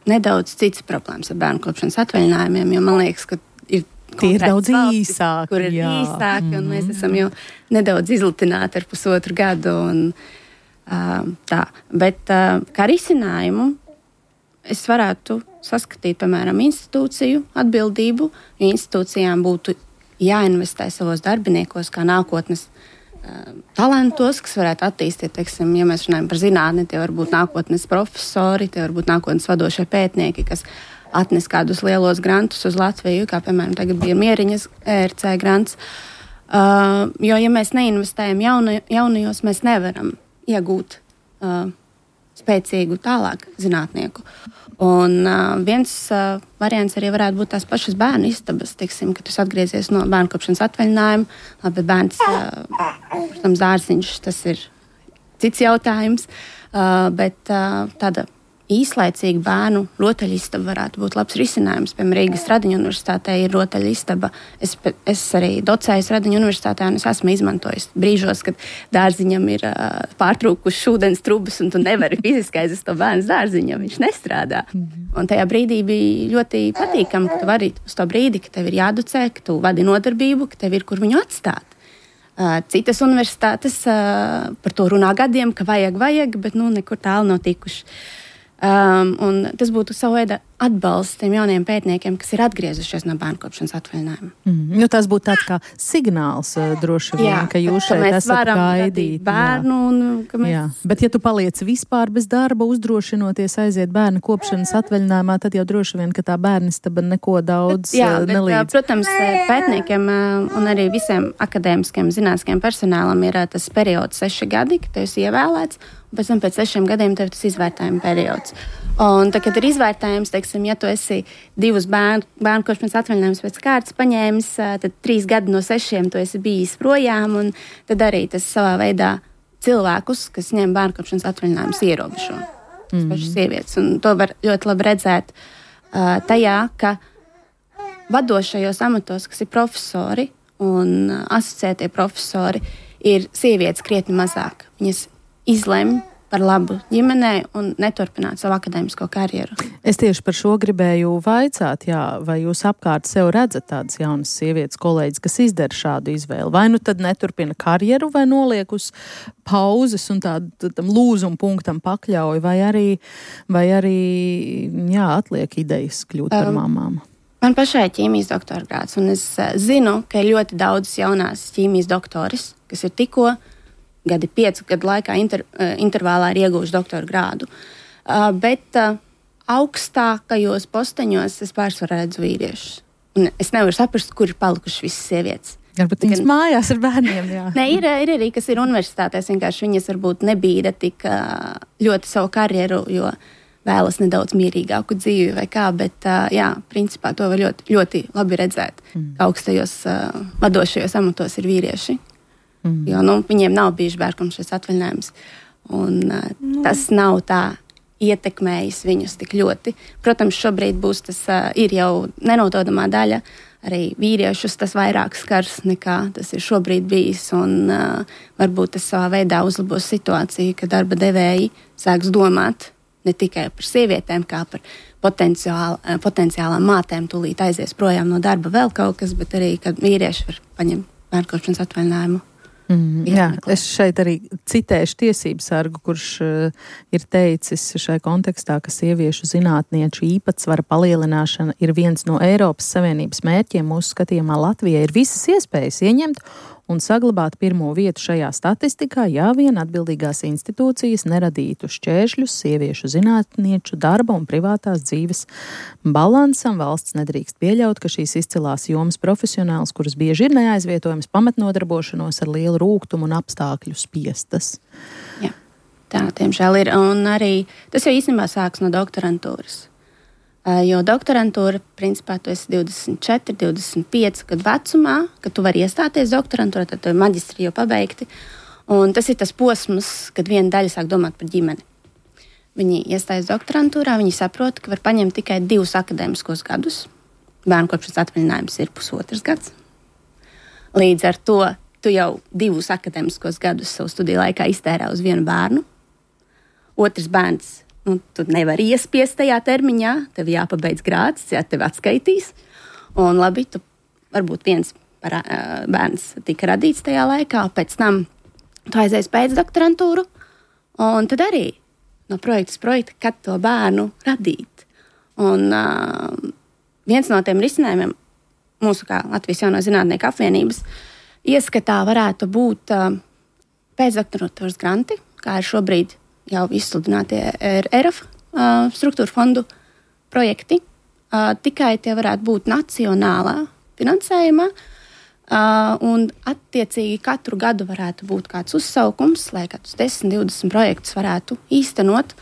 nedaudz cits problēmas ar bērnu kopšanas atvaļinājumiem, jo man liekas, ka ir daudz īsāki, kur ir īsāki, un mēs esam jau nedaudz izlutināti ar 1,5 gadu un tā. Bet kā risinājumu es varētu saskatīt, piemēram, institūciju atbildību, jo institūcijām būtu jāinvestē savos darbiniekos kā nākotnes talantos, kas varētu attīstīt, teiksim, ja mēs runājam par zinātni, tie var būt nākotnes profesori, tie var būt nākotnes vadošie pētnieki, kas atnes kādus lielos grantus uz Latviju, kā piemēram tagad bija Mieriņas ERC grants. Jo, ja mēs neinvestējam jaunajos, mēs nevaram iegūt spēcīgu tālāk zinātnieku. Un viens variants arī varētu būt tās pašas bērnu istabas, tiksim, kad tu atgriezies no bērnu kopšanas atvaļinājuma. Labi, bērns, protams, dārziņš, tas ir cits jautājums, bet tāda īslaicīga bērnu rotaļistaba varētu būt labs risinājums. Piemēram, Rīgas Radiņu universitātē ir rotaļistaba. Es arī docēju Radiņu universitātē, un es esmu izmantojis brīžos, kad dārziņam ir pārtrūkušas ūdens trubas, un tu nevari fiziski aizvest to bērnu dārziņam, viņš nestrādā. Un tajā brīdī bija ļoti patīkami, ka tu vari uz to brīdi, ka tev ir jādocē, ka tu vadi nodarbību, ka tev ir kur viņu atstāt. Citas universitātes par to runā gadiem, ka vajag, bet nekur tālu nav tikuši. Un tas būtu savu veidu atbalsts tiem jauniem pētniekiem, kas ir atgriezušies no bērnu kopšanas atvaļinājuma. Tas būtu tāds kā signāls droši vien, ka jūs šeit esat gaidīti. Bērnu, Bet ja tu paliec vispār bez darba, uzdrošinoties aiziet bērnu kopšanas atvaļinājumā, tad jau droši vien, ka tā bērnistaba neko daudz nelīdz. Protams, pētniekiem un arī visiem akadēmiskiem zinātniskiem personālam ir tas periods 6 gadi, kad tu esi ievēlēts, un pēc tam pēc 6 gadiem tev tas izvērtējuma periods. Un tad, kad ir izvērtējums, teiksim, ja tu esi 2 bērnu kopšanas atvaļinājumus pēc kārtas paņēmis, tad 3 gadi no 6 tu esi bijis projām, un tad arī tas savā veidā cilvēkus, kas ņem bērnu kopšanas atvaļinājumus, ierobežo. Tas pašas sievietes. Un to var ļoti labi redzēt tajā, ka vadošajos amatos, kas ir profesori un asociētie profesori, ir sievietes krietni mazāk. Viņas izlemj par labu ģimenei un neturpināt savu akadēmisko karjeru. Es tieši par šo gribēju vaicāt, vai jūs apkārt sev redzat tādas jaunas sievietes kolēģis, kas izdara šādu izvēli? Vai nu tad neturpina karjeru, vai noliek uz pauzes un tam lūzuma punktam pakļauj, vai arī atliek idejas kļūt par mamām? Man pašai ir ķīmijas doktora grāds, un es zinu, ka ir ļoti daudz jaunās ķīmijas doktoris, kas ir tikko 5 gadu laikā intervālā ir ieguvuši doktora grādu. Bet augstākajos posteņos es pārsvarā redzu vīriešus. Un es nevaru saprast, kur ir palikušas visas sievietes. Varbūt viņas mājās ar bērniem, jā. Nē, ir arī, kas ir universitātēs, vienkārši viņas varbūt nebīda tik ļoti savu karjeru, jo vēlas nedaudz mierīgāku dzīvi vai kā, bet principā to var ļoti, ļoti labi redzēt, ka augstajos vadošajos amatos ir vīrieši. Jo viņiem nav bijuši bērnkomšanas atvaļinājums, un tas nav tā ietekmējis viņus tik ļoti. Protams, šobrīd tas ir jau nenododamā daļa, arī vīriešus tas vairāk skars nekā tas ir šobrīd bijis, un varbūt tas savā veidā uzlabos situāciju, ka darba devēji sāks domāt ne tikai par sievietēm, kā par potenciālām mātēm tūlīt aizies projām no darba vēl kaut kas, bet arī, kad vīrieši var paņemt bērnkomšanas atvaļinājumu. Es šeit arī citēšu tiesību sargu, kurš ir teicis šai kontekstā, ka sieviešu zinātnieču īpatsvara palielināšana ir viens no Eiropas Savienības mērķiem. Mūsu skatījumā Latvijai ir visas iespējas ieņemt un saglabāt pirmo vietu šajā statistikā, ja vien atbildīgās institūcijas neradītu šķēršļus sieviešu zinātnieču darba un privātās dzīves balansam. Valsts nedrīkst pieļaut, ka šīs izcilās jomas profesionāls, kuras bieži ir neaizvietojams pamatnodarbošanos ar lielu rūgtumu un apstākļu spiestas. Jā, tā tiemžēl ir. Un arī tas jau īstenībā sāks no doktorantūras. Jo doktorantūra, principā, tu esi 24, 25 gadu vecumā, kad tu vari iestāties doktorantūrā, tad maģistri jau pabeigti. Un tas ir tas posms, kad viena daļa sāk domāt par ģimeni. Viņi iestājas doktorantūrā, viņi saprot, ka var paņemt tikai 2 akadēmiskos gadus. Bērnu kopšanas atvaļinājums ir 1,5 gads. Līdz ar to tu jau 2 akadēmiskos gadus savu studiju laikā iztērē uz vienu bērnu. Otrs bērns. Tu nevari iespiest tajā termiņā, tev jāpabeidz grāds, tev atskaitīs. Un labi, varbūt viens bērns tika radīts tajā laikā, pēc tam tu aizies pēc doktorantūru, un tad arī no projekta, kad to bērnu radīt. Un viens no tiem risinājumiem mūsu kā Latvijas Jauno zinātnieku apvienības ieskatā varētu būt pēcdoktorantūras granti, kā ir šobrīd jau izsludinātie ERAF struktūra fondu projekti. Tikai tie varētu būt nacionālā finansējumā, un attiecīgi katru gadu varētu būt kāds uzsaukums, lai kādus 10, 20 projektus varētu īstenot,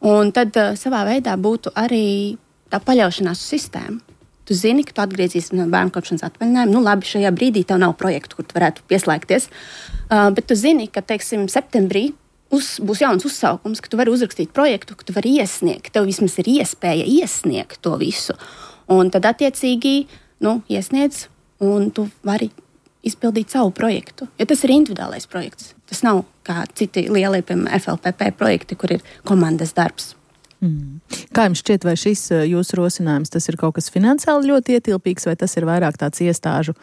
un tad savā veidā būtu arī tā paļaušanās uz sistēmu. Tu zini, ka tu atgriezīsies no bērnu kopšanas atvaļinājuma. Nu, labi, šajā brīdī tev nav projektu, kur tu varētu pieslēgties. Bet tu zini, ka, teiksim, septembrī būs jauns uzsaukums, ka tu vari uzrakstīt projektu, ka tu vari iesniegt. Tev vismaz ir iespēja iesniegt to visu. Un tad, attiecīgi, iesniedz, un tu vari izpildīt savu projektu. Jo tas ir individuālais projekts. Tas nav kā citi lielie, piemēram, FLPP projekti, kur ir komandas darbs. Kā jums šķiet, vai šis jūsu rosinājums, tas ir kaut kas finansiāli ļoti ietilpīgs, vai tas ir vairāk tāds iestāžu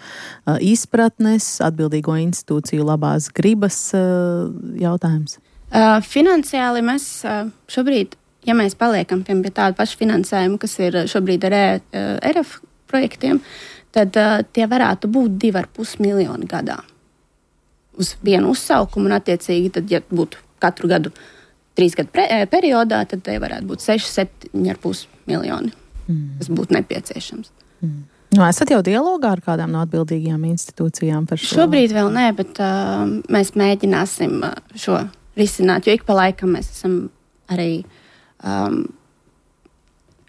izpratnes, atbildīgo institūciju labās gribas jautājums? Finansiāli mēs šobrīd, ja mēs paliekam pie tādu pašu finansējumu, kas ir šobrīd ar ERAF projektiem, tad tie varētu būt 2,5 miljoni gadā uz vienu uzsaukumu, un attiecīgi, tad, ja būtu katru gadu 3 gadu periodā, tad te varētu būt 6-7,5 miljoni, kas būtu nepieciešams. Esat jau dialogā ar kādām no atbildīgajām institūcijām par šo? Šobrīd vēl nē, bet mēs mēģināsim šo risināt, jo ik pa laikam mēs esam arī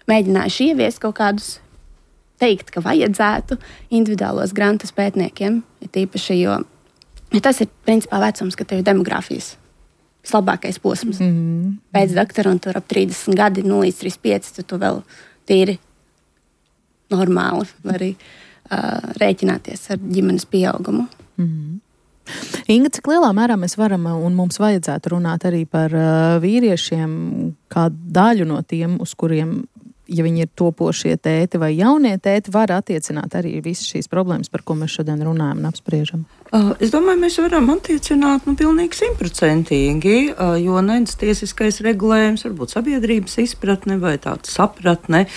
mēģinājuši ieviest kaut kādus teikt, ka vajadzētu individuālos grantus pētniekiem, ja tīpaši, jo tas ir principā vecums, ka tev ir demogrāfijas vislabākais posms. Pēc doktorantūra ap 30 gadi, 0 līdz 35, tad tu vēl tīri normāli vari rēķināties ar ģimenes pieaugumu. Inga, cik lielā mērā mēs varam un mums vajadzētu runāt arī par vīriešiem, kā daļu no tiem, uz kuriem, ja viņi ir topošie tēti vai jaunie tēti, var attiecināt arī visas šīs problēmas, par ko mēs šodien runājam un apspriežam? Es domāju, mēs varam attiecināt pilnīgi 100%, jo nedz tiesiskais regulējums, varbūt sabiedrības izpratne vai tāda sapratne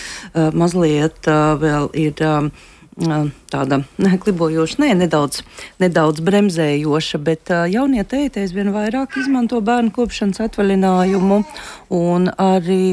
mazliet vēl ir tāda klibojoša, nedaudz bremzējoša, bet jaunie tēti aizvien vairāk izmanto bērnu kopšanas atvaļinājumu, un arī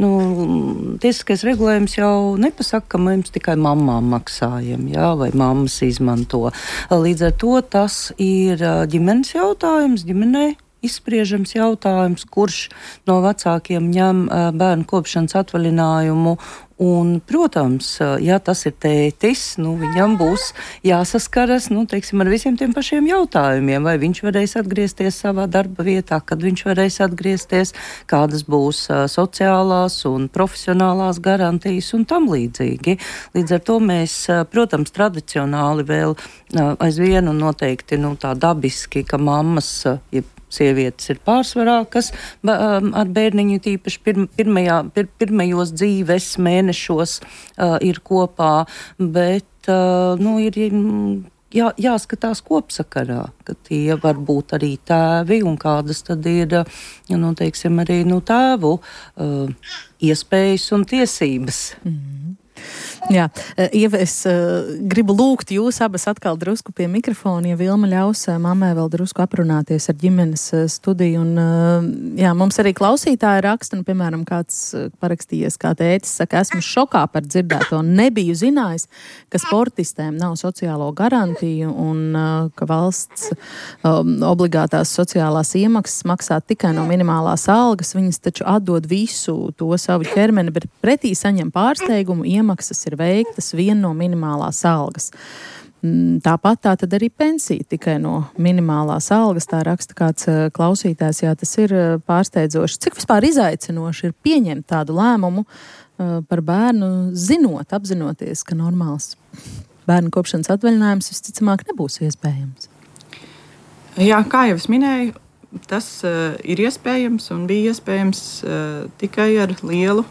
tiesiskais regulējums jau nepasaka, ka mums tikai mammām maksājam, vai mammas izmanto. Līdz ar to tas ir ģimenes jautājums, ģimenei izspriežams jautājums, kurš no vecākiem ņem bērnu kopšanas atvaļinājumu. Un, protams, ja tas ir tētis, viņam būs jāsaskaras, teiksim, ar visiem tiem pašiem jautājumiem, vai viņš varēs atgriezties savā darba vietā, kad viņš varēs atgriezties, kādas būs sociālās un profesionālās garantijas un tam līdzīgi. Līdz ar to mēs, protams, tradicionāli vēl aizvien un noteikti tā dabiski, ka mammas, sievietes ir pārsvarā, kas ar bērniņu tīpaši pirmajos dzīves mēnešos ir kopā, bet ir jāskatās kopsakarā, ka tie var būt arī tēvi un kādas tad ir, teiksim, arī tēvu iespējas un tiesības. Jā, Ieva, es gribu lūgt jūs abas atkal drusku pie mikrofona, ja Vilma ļaus mammai vēl drusku aprunāties ar ģimenes studiju. Un, mums arī klausītāji raksta, piemēram, kāds parakstījies, kā tētis saka, esmu šokā par dzirdēto, nebiju zinājis, ka sportistēm nav sociālo garantiju un ka valsts obligātās sociālās iemaksas maksā tikai no minimālās algas, viņas taču atdod visu to savu ķermeni, bet pretī saņem pārsteigumu, iemaksas ir veiktas vien no minimālās algas. Tāpat tā tad arī pensija tikai no minimālās algas, tā raksta kāds klausītājs, tas ir pārsteidzoši. Cik vispār izaicinoši ir pieņemt tādu lēmumu par bērnu, apzinoties, ka normāls bērnu kopšanas atvaļinājums visticamāk nebūs iespējams? Jā, kā jau es minēju, tas ir iespējams un bija iespējams tikai ar lielu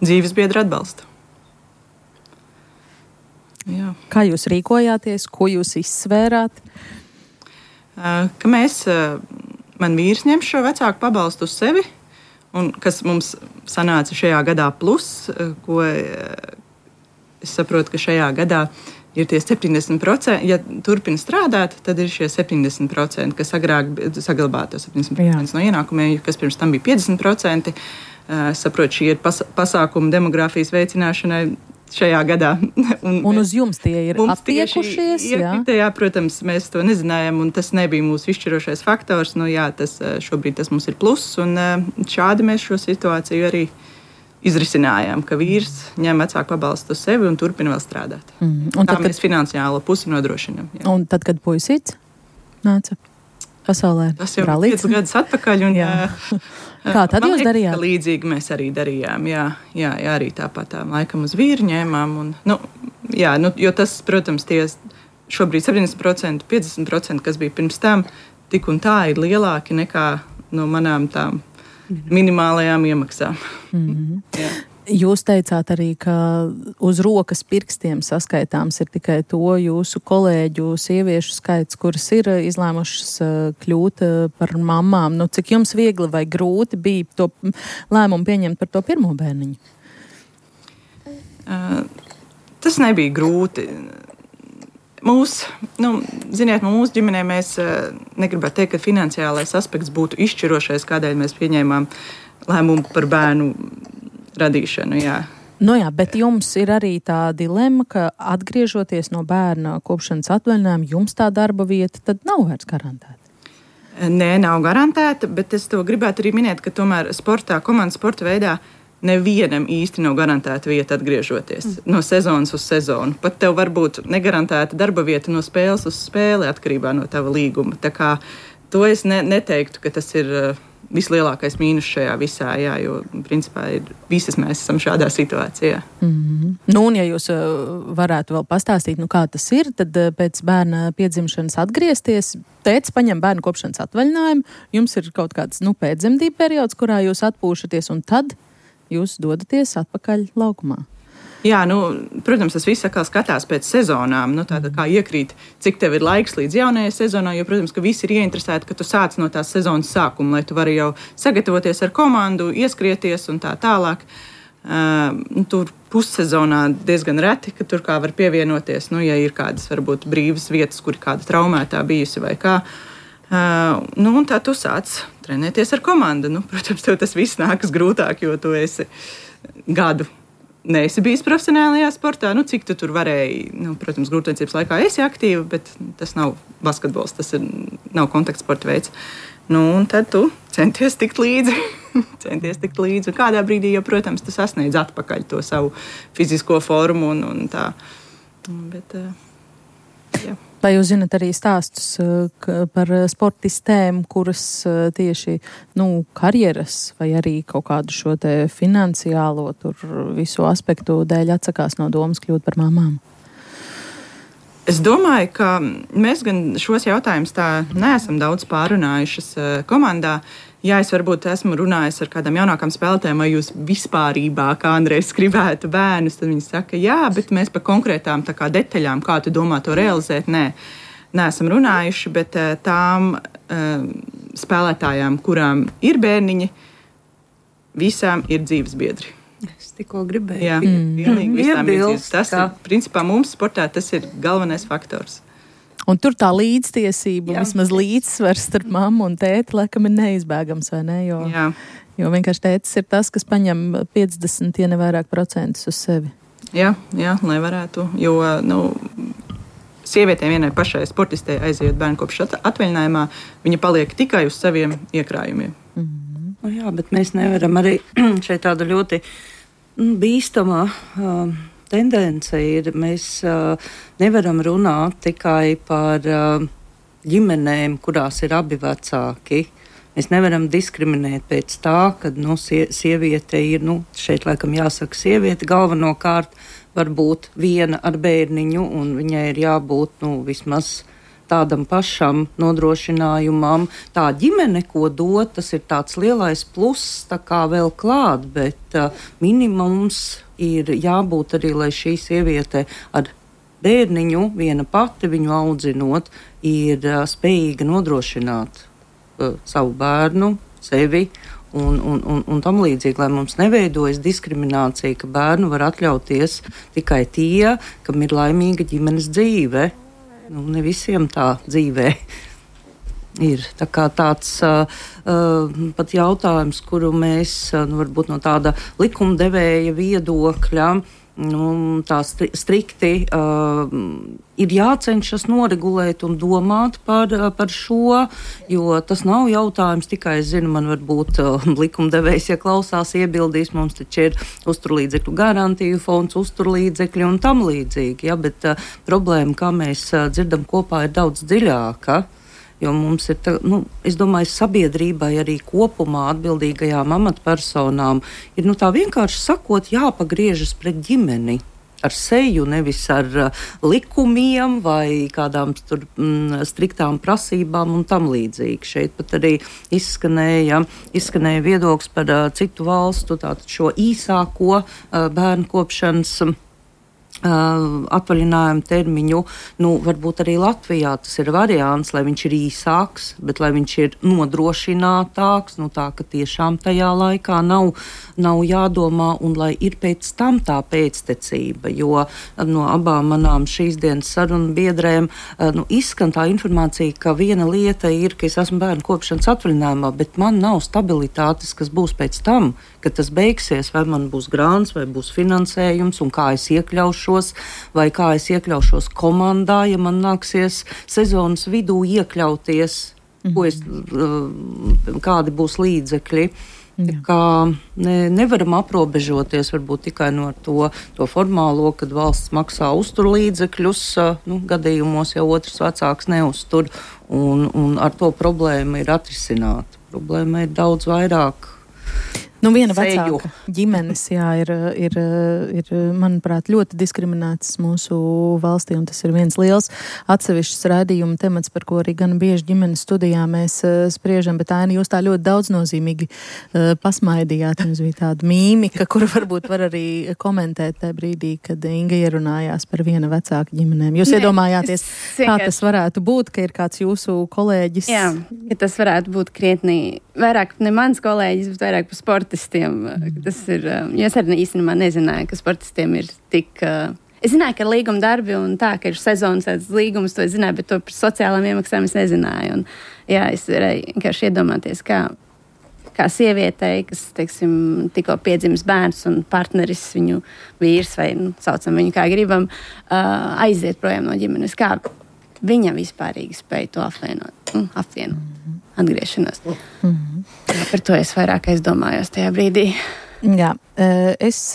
dzīvesbiedru atbalstu. Jā. Kā jūs rīkojāties, ko jūs izsvērāt? Ka man vīrs ņem šo vecāku pabalstu uz sevi, un kas mums sanāca šajā gadā plus, ko es saprotu, ka šajā gadā ir tie 70%. Ja turpina strādāt, tad ir šie 70%, kas agrāk saglabā to 70% no ienākumiem, kas pirms tam bija 50%. Es saprotu, šī ir pasākuma demogrāfijas veicināšanai šajā gadā. Un uz jums tie ir attiekušies? Jā, protams, mēs to nezinājām, un tas nebija mūsu izšķirošais faktors. Šobrīd tas mums ir pluss, un šādi mēs šo situāciju arī izrisinājām, ka vīrs ņem vecāku pabalstu uz sevi un turpina vēl strādāt. Tā mēs finansiālo pusi nodrošinām. Jā. Un tad, kad puisīts nāca pasaulē? Tas jau ir 5 gadus atpakaļ. Un, kā tad jūs darījāt? Līdzīgi mēs arī darījām. Jā, arī tāpat laikam uz vīru ņēmām. Un, jo tas, protams, šobrīd 70%, 50%, kas bija pirms tam, tik un tā ir lielāki nekā no manām tām minimālajām iemaksām. Jūs teicāt arī, ka uz rokas pirkstiem saskaitāms ir tikai to jūsu kolēģu sieviešu skaits, kuras ir izlēmušas kļūt par mamām. Cik jums viegli vai grūti bija to lēmumu pieņemt par to pirmo bērniņu? Tas nebija grūti. Mūsu ģimenē mēs negribētu teikt, ka finansiālais aspekts būtu izšķirošais, kādēļ mēs pieņēmām lēmumu par bērnu radīšanu. Jā. Bet jums ir arī tā dilemma, ka atgriežoties no bērna kopšanas atvaļinājuma, jums tā darba vieta tad nav vairs garantēta. Nē, nav garantēta, bet es to gribētu arī minēt, ka tomēr komandas sporta veidā nevienam īsti nav garantēta vieta atgriežoties no sezonas uz sezonu. Pat tev var būt negarantēta darba vieta no spēles uz spēli atkarībā no tava līguma. Tā kā to es neteiktu, ka tas ir vislielākais mīnus šajā visā, jo principā visas mēs esam šādā situācijā. Un ja jūs varētu vēl pastāstīt, kā tas ir, tad pēc bērna piedzimšanas atgriezties, tētis paņem bērnu kopšanas atvaļinājumu, jums ir kaut kāds pēcdzemdību periods, kurā jūs atpūšaties, un tad jūs dodaties atpakaļ laukumā. Jā, protams, tas viss atkal skatās pēc sezonām. Tātad kā iekrīt, cik tev ir laiks līdz jaunajai sezonai, jo, protams, ka visi ir ieinteresēti, ka tu sāc no tās sezonas sākuma, lai tu vari jau sagatavoties ar komandu, ieskrieties un tā tālāk. Tur pussezonā diezgan reti, ka tur kā var pievienoties, ja ir kādas varbūt brīvas vietas, kur ir kāda traumētā bijusi vai kā. Un tā tu sāc trenēties ar komandu. Protams, tev tas viss nākas grūtāk, jo tu esi gadu neesi bijis profesionālajā sportā. Cik tu tur varēji, protams, grūtniecības laikā esi aktīva, bet tas nav basketbols, tas nav kontaktsporta veids. Un tad tu centies tikt līdzi. Un kādā brīdī, jo, protams, tu sasniedz atpakaļ to savu fizisko formu un tā. Bet, jā. Vai jūs zinat arī stāstus par sportistēm, kuras tieši karjeras vai arī kaut kādu šo te finansiālo visu aspektu dēļ atsakās no domas kļūt par mamām? Es domāju, ka mēs gan šos jautājumus tā neesam daudz pārunājušas komandā. Jā, es varbūt esmu runājis ar kādām jaunākām spēlētājiem, vai jūs vispārībā kādreiz gribētu bērnus, tad viņi saka, jā, bet mēs par konkrētām detaļām, kā tu domā to realizēt, neesam runājuši, bet tām spēlētājām, kurām ir bērniņi, visām ir dzīves biedri. Es tikko gribēju. Jā, pilnīgi visām ir dzīves. Tas ir, principā, mums sportā tas ir galvenais faktors. Un tur tā līdztiesība, vismaz līdzsvars starp mammu un tēti, laikam ir neizbēgams, vai ne? Jo vienkārši tētis ir tas, kas paņem 50, ja ne vairāk procentus uz sevi. Jā, lai varētu, jo, sievietēm vienai pašai sportistei aizejot bērnu kopšanas atvaļinājumā, viņa paliek tikai uz saviem iekrājumiem. Jā, bet mēs nevaram arī šeit tāda ļoti bīstamā tendence ir, mēs nevaram runāt tikai par ģimenēm, kurās ir abi vecāki. Mēs nevaram diskriminēt pēc tā, ka sieviete ir, šeit laikam jāsaka sieviete, galvenokārt varbūt viena ar bērniņu, un viņai ir jābūt vismaz tādam pašam nodrošinājumam. Tā ģimene, ko dot, tas ir tāds lielais pluss, tā kā vēl klāt, bet minimums ir jābūt arī, lai šī sieviete ar bērniņu viena pati viņu audzinot, ir spējīga nodrošināt savu bērnu, sevi un tam līdzīgi, lai mums neveidojas diskriminācija, ka bērnu var atļauties tikai tie, kam ir laimīga ģimenes dzīve. Ne visiem tā dzīvē ir. Tā kā tāds pat jautājums, kuru mēs varbūt no tāda likumdevēja viedokļa tā strikti ir jācenšas noregulēt un domāt par šo, jo tas nav jautājums tikai, es zinu, man varbūt likumdevējs, ja klausās, iebildīs, mums taču ir uzturlīdzekļu garantiju fonds, uzturlīdzekļi un tam līdzīgi, ja, bet problēma, kā mēs dzirdam kopā, ir daudz dziļāka. Jo mums ir, es domāju, sabiedrībai arī kopumā atbildīgajām amatpersonām ir, tā vienkārši sakot, jāpagriežas pret ģimeni ar seju, nevis ar likumiem vai kādām tur striktām prasībām un tam līdzīgi. Šeit pat arī izskanēja viedoklis par citu valstu, tātad šo īsāko bērnu kopšanas atvaļinājumu termiņu, varbūt arī Latvijā tas ir variants, lai viņš ir īsāks, bet lai viņš ir nodrošinātāks, tā, ka tiešām tajā laikā nav jādomā un lai ir pēc tam tā pēctecība, jo no abām manām šīs dienas sarunu biedrēm izskan tā informācija, ka viena lieta ir, ka es esmu bērnu kopšanas atvaļinājumā, bet man nav stabilitātes, kas būs pēc tam, kad tas beigsies, vai man būs grāns, vai būs finansējums, un kā es iekļaušos, vai kā es iekļaušos komandā, ja man nāksies sezonas vidū iekļauties, kādi būs līdzekļi. Kā nevaram aprobežoties varbūt tikai no to formālo, kad valsts maksā uzturlīdzekļus, gadījumos jau otrs vecāks neuztur, un ar to problēma ir atrisināta. Problēma ir daudz vairāk. Viena vecāka ģimenes, ir, manuprāt, ļoti diskriminētas mūsu valstī, un tas ir viens liels atsevišķs raidījuma temats, par ko arī gan bieži ģimenes studijā mēs spriežam, bet Aina, jūs tā ļoti daudznozīmīgi pasmaidījāt, jums bija tāda mīmika, kuru varbūt var arī komentēt tajā brīdī, kad Inga ierunājās par viena vecāka ģimenēm. Jūs iedomājāties, kā tas varētu būt, ka ir kāds jūsu kolēģis? Jā, ka tas varētu būt krietni vairāk ne mans kolēģis, bet vairāk par sportistiem. Tas ir, jo es arī īstenībā nezināju, ka sportistiem ir tik... Es zināju, ka ir līguma darbi un tā, ka ir sezonas līgumas, to es zināju, bet to par sociālām iemaksām es nezināju. Un, jā, es varēju vienkārši iedomāties, kā sievietei, kas, teiksim, tikko piedzimis bērns un partneris, viņu vīrs vai, saucam viņu kā gribam, aiziet projām no ģimenes. Kā viņa vispārīgi spēja to apvienot. Atgriešanos. Par to es vairāk aizdomājos tajā brīdī. Jā, es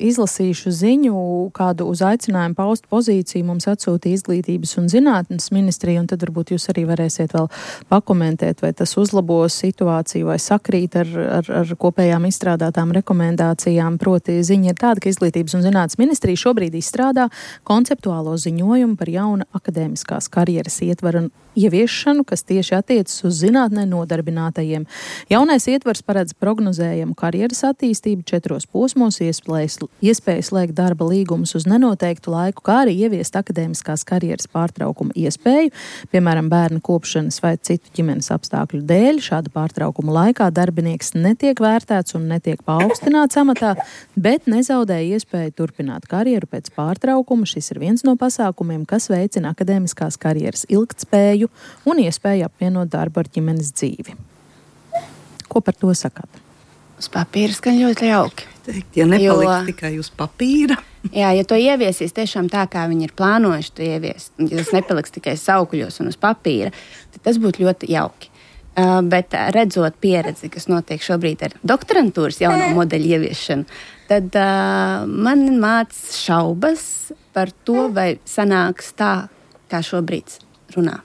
izlasīšu ziņu, kādu uz aicinājumu paust pozīciju mums atsūtīja Izglītības un zinātnes ministrija, un tad varbūt jūs arī varēsiet vēl pakomentēt, vai tas uzlabos situāciju vai sakrīt ar kopējām izstrādātām rekomendācijām. Proti ziņa ir tāda, ka Izglītības un zinātnes ministrija šobrīd izstrādā konceptuālo ziņojumu par jauna akadēmiskās karjeras ietvaru ieviešanu, kas tieši attiecas uz zinātnē nodarbinātajiem. Jaunais ietvars paredz prognozējumu karjeras attīstību 4 posmos, iespēju slēgt darba līgumus uz nenoteiktu laiku, kā arī ieviest akadēmiskās karjeras pārtraukuma iespēju, piemēram, bērna kopšanas vai citu ģimenes apstākļu dēļ. Šāda pārtraukuma laikā darbinieks netiek vērtēts un netiek paaugstināts amatā, bet nezaudē iespēju turpināt karjeru pēc pārtraukuma. Šis ir viens no pasākumiem, kas veicina akadēmiskās karjeras ilgtspēju un iespēju apvienot darbu ar ģimenes dzīvi. Ko par to sakāt? Uz papīra skan ļoti jauki. Ja nepaliks tikai uz papīra. Jā, ja to ieviesīs tiešām tā, kā viņi ir plānojuši to ieviest, ja tas nepaliks tikai saukļos un uz papīra, tad tas būtu ļoti jauki. Bet redzot pieredzi, kas notiek šobrīd ar doktorantūras jauno modeļu ieviešanu, tad man māc šaubas par to, vai sanāks tā, kā šobrīd runā.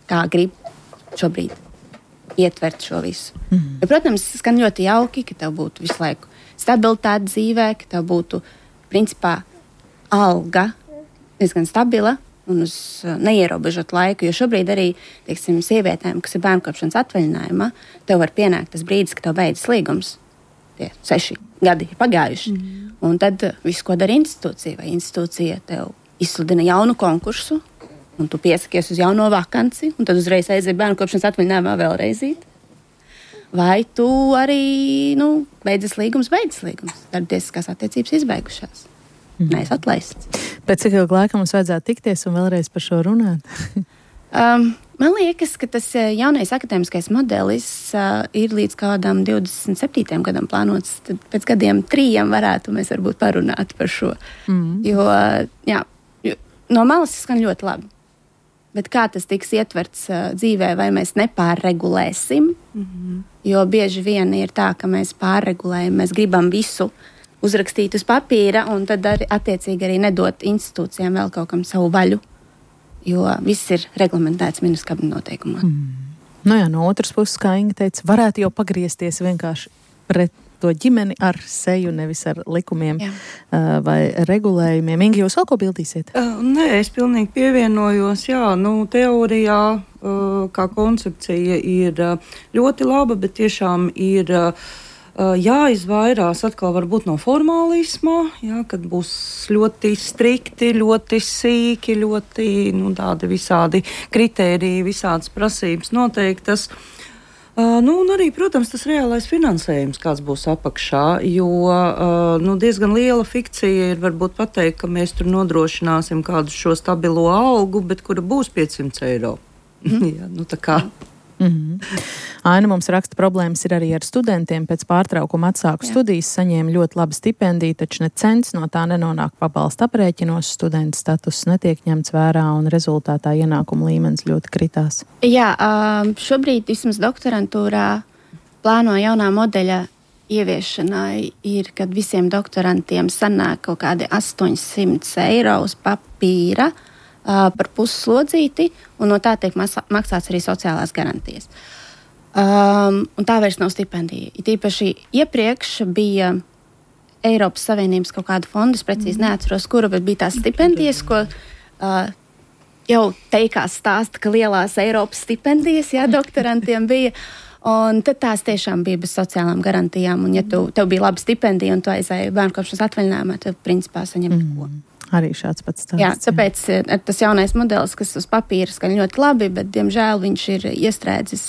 Kā grib šobrīd ietvert šo visu. Jo, protams, skan ļoti jauki, ka tev būtu visu laiku stabilitāte dzīvē, ka tev būtu, principā, alga diezgan stabila un uz neierobežot laiku, jo šobrīd arī, teiksim, sievietēm, kas ir bērnu kopšanas atvaļinājumā, tev var pienākt tas brīdis, ka tev beidzas līgums. Tie 6 gadi ir pagājuši. Un tad viss, ko dara institūcija, vai institūcija tev izsludina jaunu konkursu, un tu piesakies uz jauno vakanci, un tad uzreiz aiziet bērnu kopšanas atvaļinājumā vēlreizīt. vai tu arī, beidzas līgums. Darbtiesiskās attiecības izbeigušās. Neesi atlaists. Pēc cik ilga laika mums vajadzētu tikties un vēlreiz par šo runāt? Man liekas, ka tas jaunais akadēmiskais modelis ir līdz kādam 27. gadam plānots. Tad pēc gadiem 3 varētu mēs varbūt parunāt par šo. Jo no malas skan ļoti labi. Bet kā tas tiks ietverts dzīvē, vai mēs nepārregulēsim? Jo bieži vien ir tā, ka mēs pārregulējam, mēs gribam visu uzrakstīt uz papīra un tad attiecīgi arī nedot institūcijām vēl kaut kam savu vaļu. Jo viss ir reglamentēts ministra kabineta noteikumā. No otras puses, kā Inga teica, varētu jau pagriezties vienkārši pret to ģimeni ar seju, nevis ar likumiem vai regulējumiem. Inga, jūs vēl ko bildīsiet? Nē, es pilnīgi pievienojos. Teorijā kā koncepcija ir ļoti laba, bet tiešām ir jāizvairās atkal varbūt no formālisma, kad būs ļoti strikti, ļoti sīki, ļoti tādi visādi kritēriji, visādas prasības noteiktas. Un arī, protams, tas reālais finansējums, kāds būs apakšā, jo diezgan liela fikcija ir varbūt pateikt, ka mēs tur nodrošināsim kādu šo stabilo algu, bet kura būs 500 eiro. Tā kā. Aina mums raksta, problēmas ir arī ar studentiem. Pēc pārtraukuma atsāku studijas, saņēma ļoti labu stipendiju, taču ne cents no tā nenonāk pabalsta aprēķinos. Studenta status netiek ņemts vērā un rezultātā ienākuma līmenis ļoti kritās. Jā, šobrīd vismaz doktorantūrā plāno jaunā modeļa ieviešanai ir, kad visiem doktorantiem sanāk kaut kādi 800 eiro uz papīra par pusslodzīti, un no tā tiek maksāts arī sociālās garantijas. Un tā vairs nav stipendija. Tīpaši iepriekš bija Eiropas Savienības kaut kāda fonda, es precīzi neatceros, kura, bet bija tās stipendijas, ko jau teikās stāsta, ka lielās Eiropas stipendijas, doktorantiem bija. Un tad tās tiešām bija bez sociālām garantijām. Un ja tev bija laba stipendija un tu aizēji bērnkopšanas atvaļinājumā, tad principā saņem ko. Arī šāds pats stāsts. Jā, tāpēc tas jaunais modelis, kas uz papīra skan ļoti labi, bet, diemžēl, viņš ir iestrēdzis,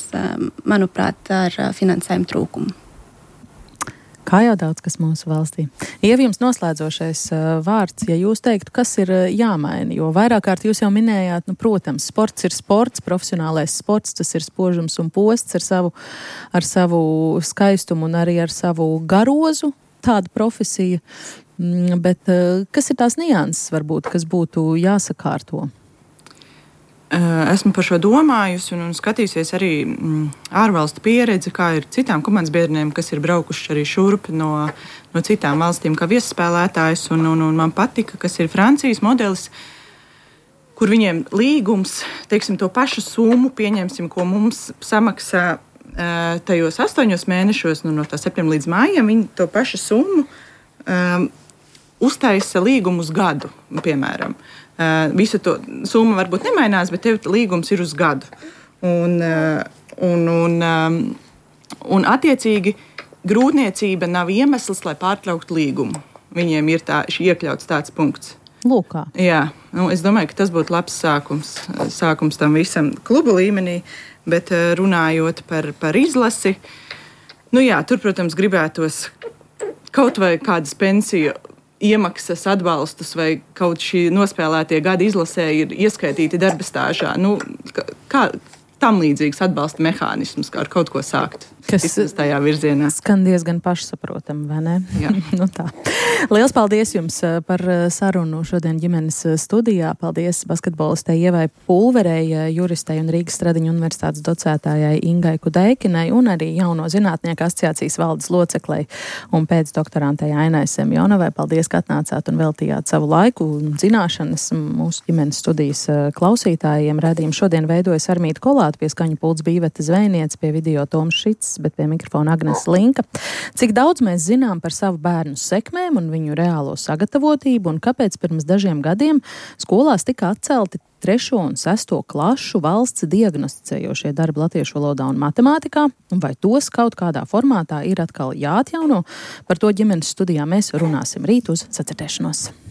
manuprāt, ar finansējumu trūkumu. Kā jau daudz kas mūsu valstī. Ieva, jums noslēdzošais vārds, ja jūs teiktu, kas ir jāmaina, jo vairāk kārt jūs jau minējāt, protams, sports ir sports, profesionālais sports, tas ir spožums un posts ar savu skaistumu un arī ar savu garozu, tāda profesija. Bet kas ir tās nianses, varbūt, kas būtu jāsakārto? Esmu par šo domājusi un skatījusies arī ārvalstu pieredzi, kā ir citām komandas biedriem, kas ir braukuši arī šurp no citām valstīm kā viesspēlētājs. Un man patika, kas ir Francijas modelis, kur viņiem līgums, teiksim, to pašu summu, pieņemsim, ko mums samaksā tajos 8 mēnešos, no tā septembra līdz mājam, viņi to pašu summu uztaisa līgumu uz gadu, piemēram. Visu to summa varbūt nemainās, bet tev līgums ir uz gadu. Un attiecīgi grūtniecība nav iemesls, lai pārtrauktu līgumu. Viņiem ir iekļauts tāds punkts. Lūkā. Jā, es domāju, ka tas būtu labs sākums tam visam klubu līmenī, bet runājot par izlasi, tur, protams, gribētos kaut vai kādas pensiju iemaksas atbalstus vai kaut šī nospēlētie gadi izlasē ir ieskaitīti darba stāžā. Kā tam līdzīgs atbalsta mehānisms, kā ar kaut ko sākt. Kas tajā virzienā. Skan diezgan pašsaprotami, vai ne? Jā. Tā. Liels paldies jums par sarunu šodien ģimenes studijā. Paldies basketbolistei Ievai Pulverei, juristei un Rīgas Stradiņu universitātes docētājai Ingai Kudeikinai un arī jauno zinātnieku asociācijas valdes loceklei un pēcdoktorantei Ainai Semjonovai. Paldies, ka atnācāt un veltījāt savu laiku un zināšanas mūsu ģimenes studijas klausītājiem. Radījumu šodien veidojas Armīta Kolāta, pie skaņu pults bija Iveta Zvejniece, pie video Toms Šits, bet pie mikrofona Agnes Linka. Cik daudz mēs zinām par savu bērnu sekmēm un viņu reālo sagatavotību un kāpēc pirms dažiem gadiem skolās tika atcelti 3. un 6. klašu valsts diagnosticējošie darbi latviešu valodā un matemātikā, un vai tos kaut kādā formātā ir atkal jāatjauno? Par to ģimenes studijā mēs runāsim rīt uz sacirdēšanos.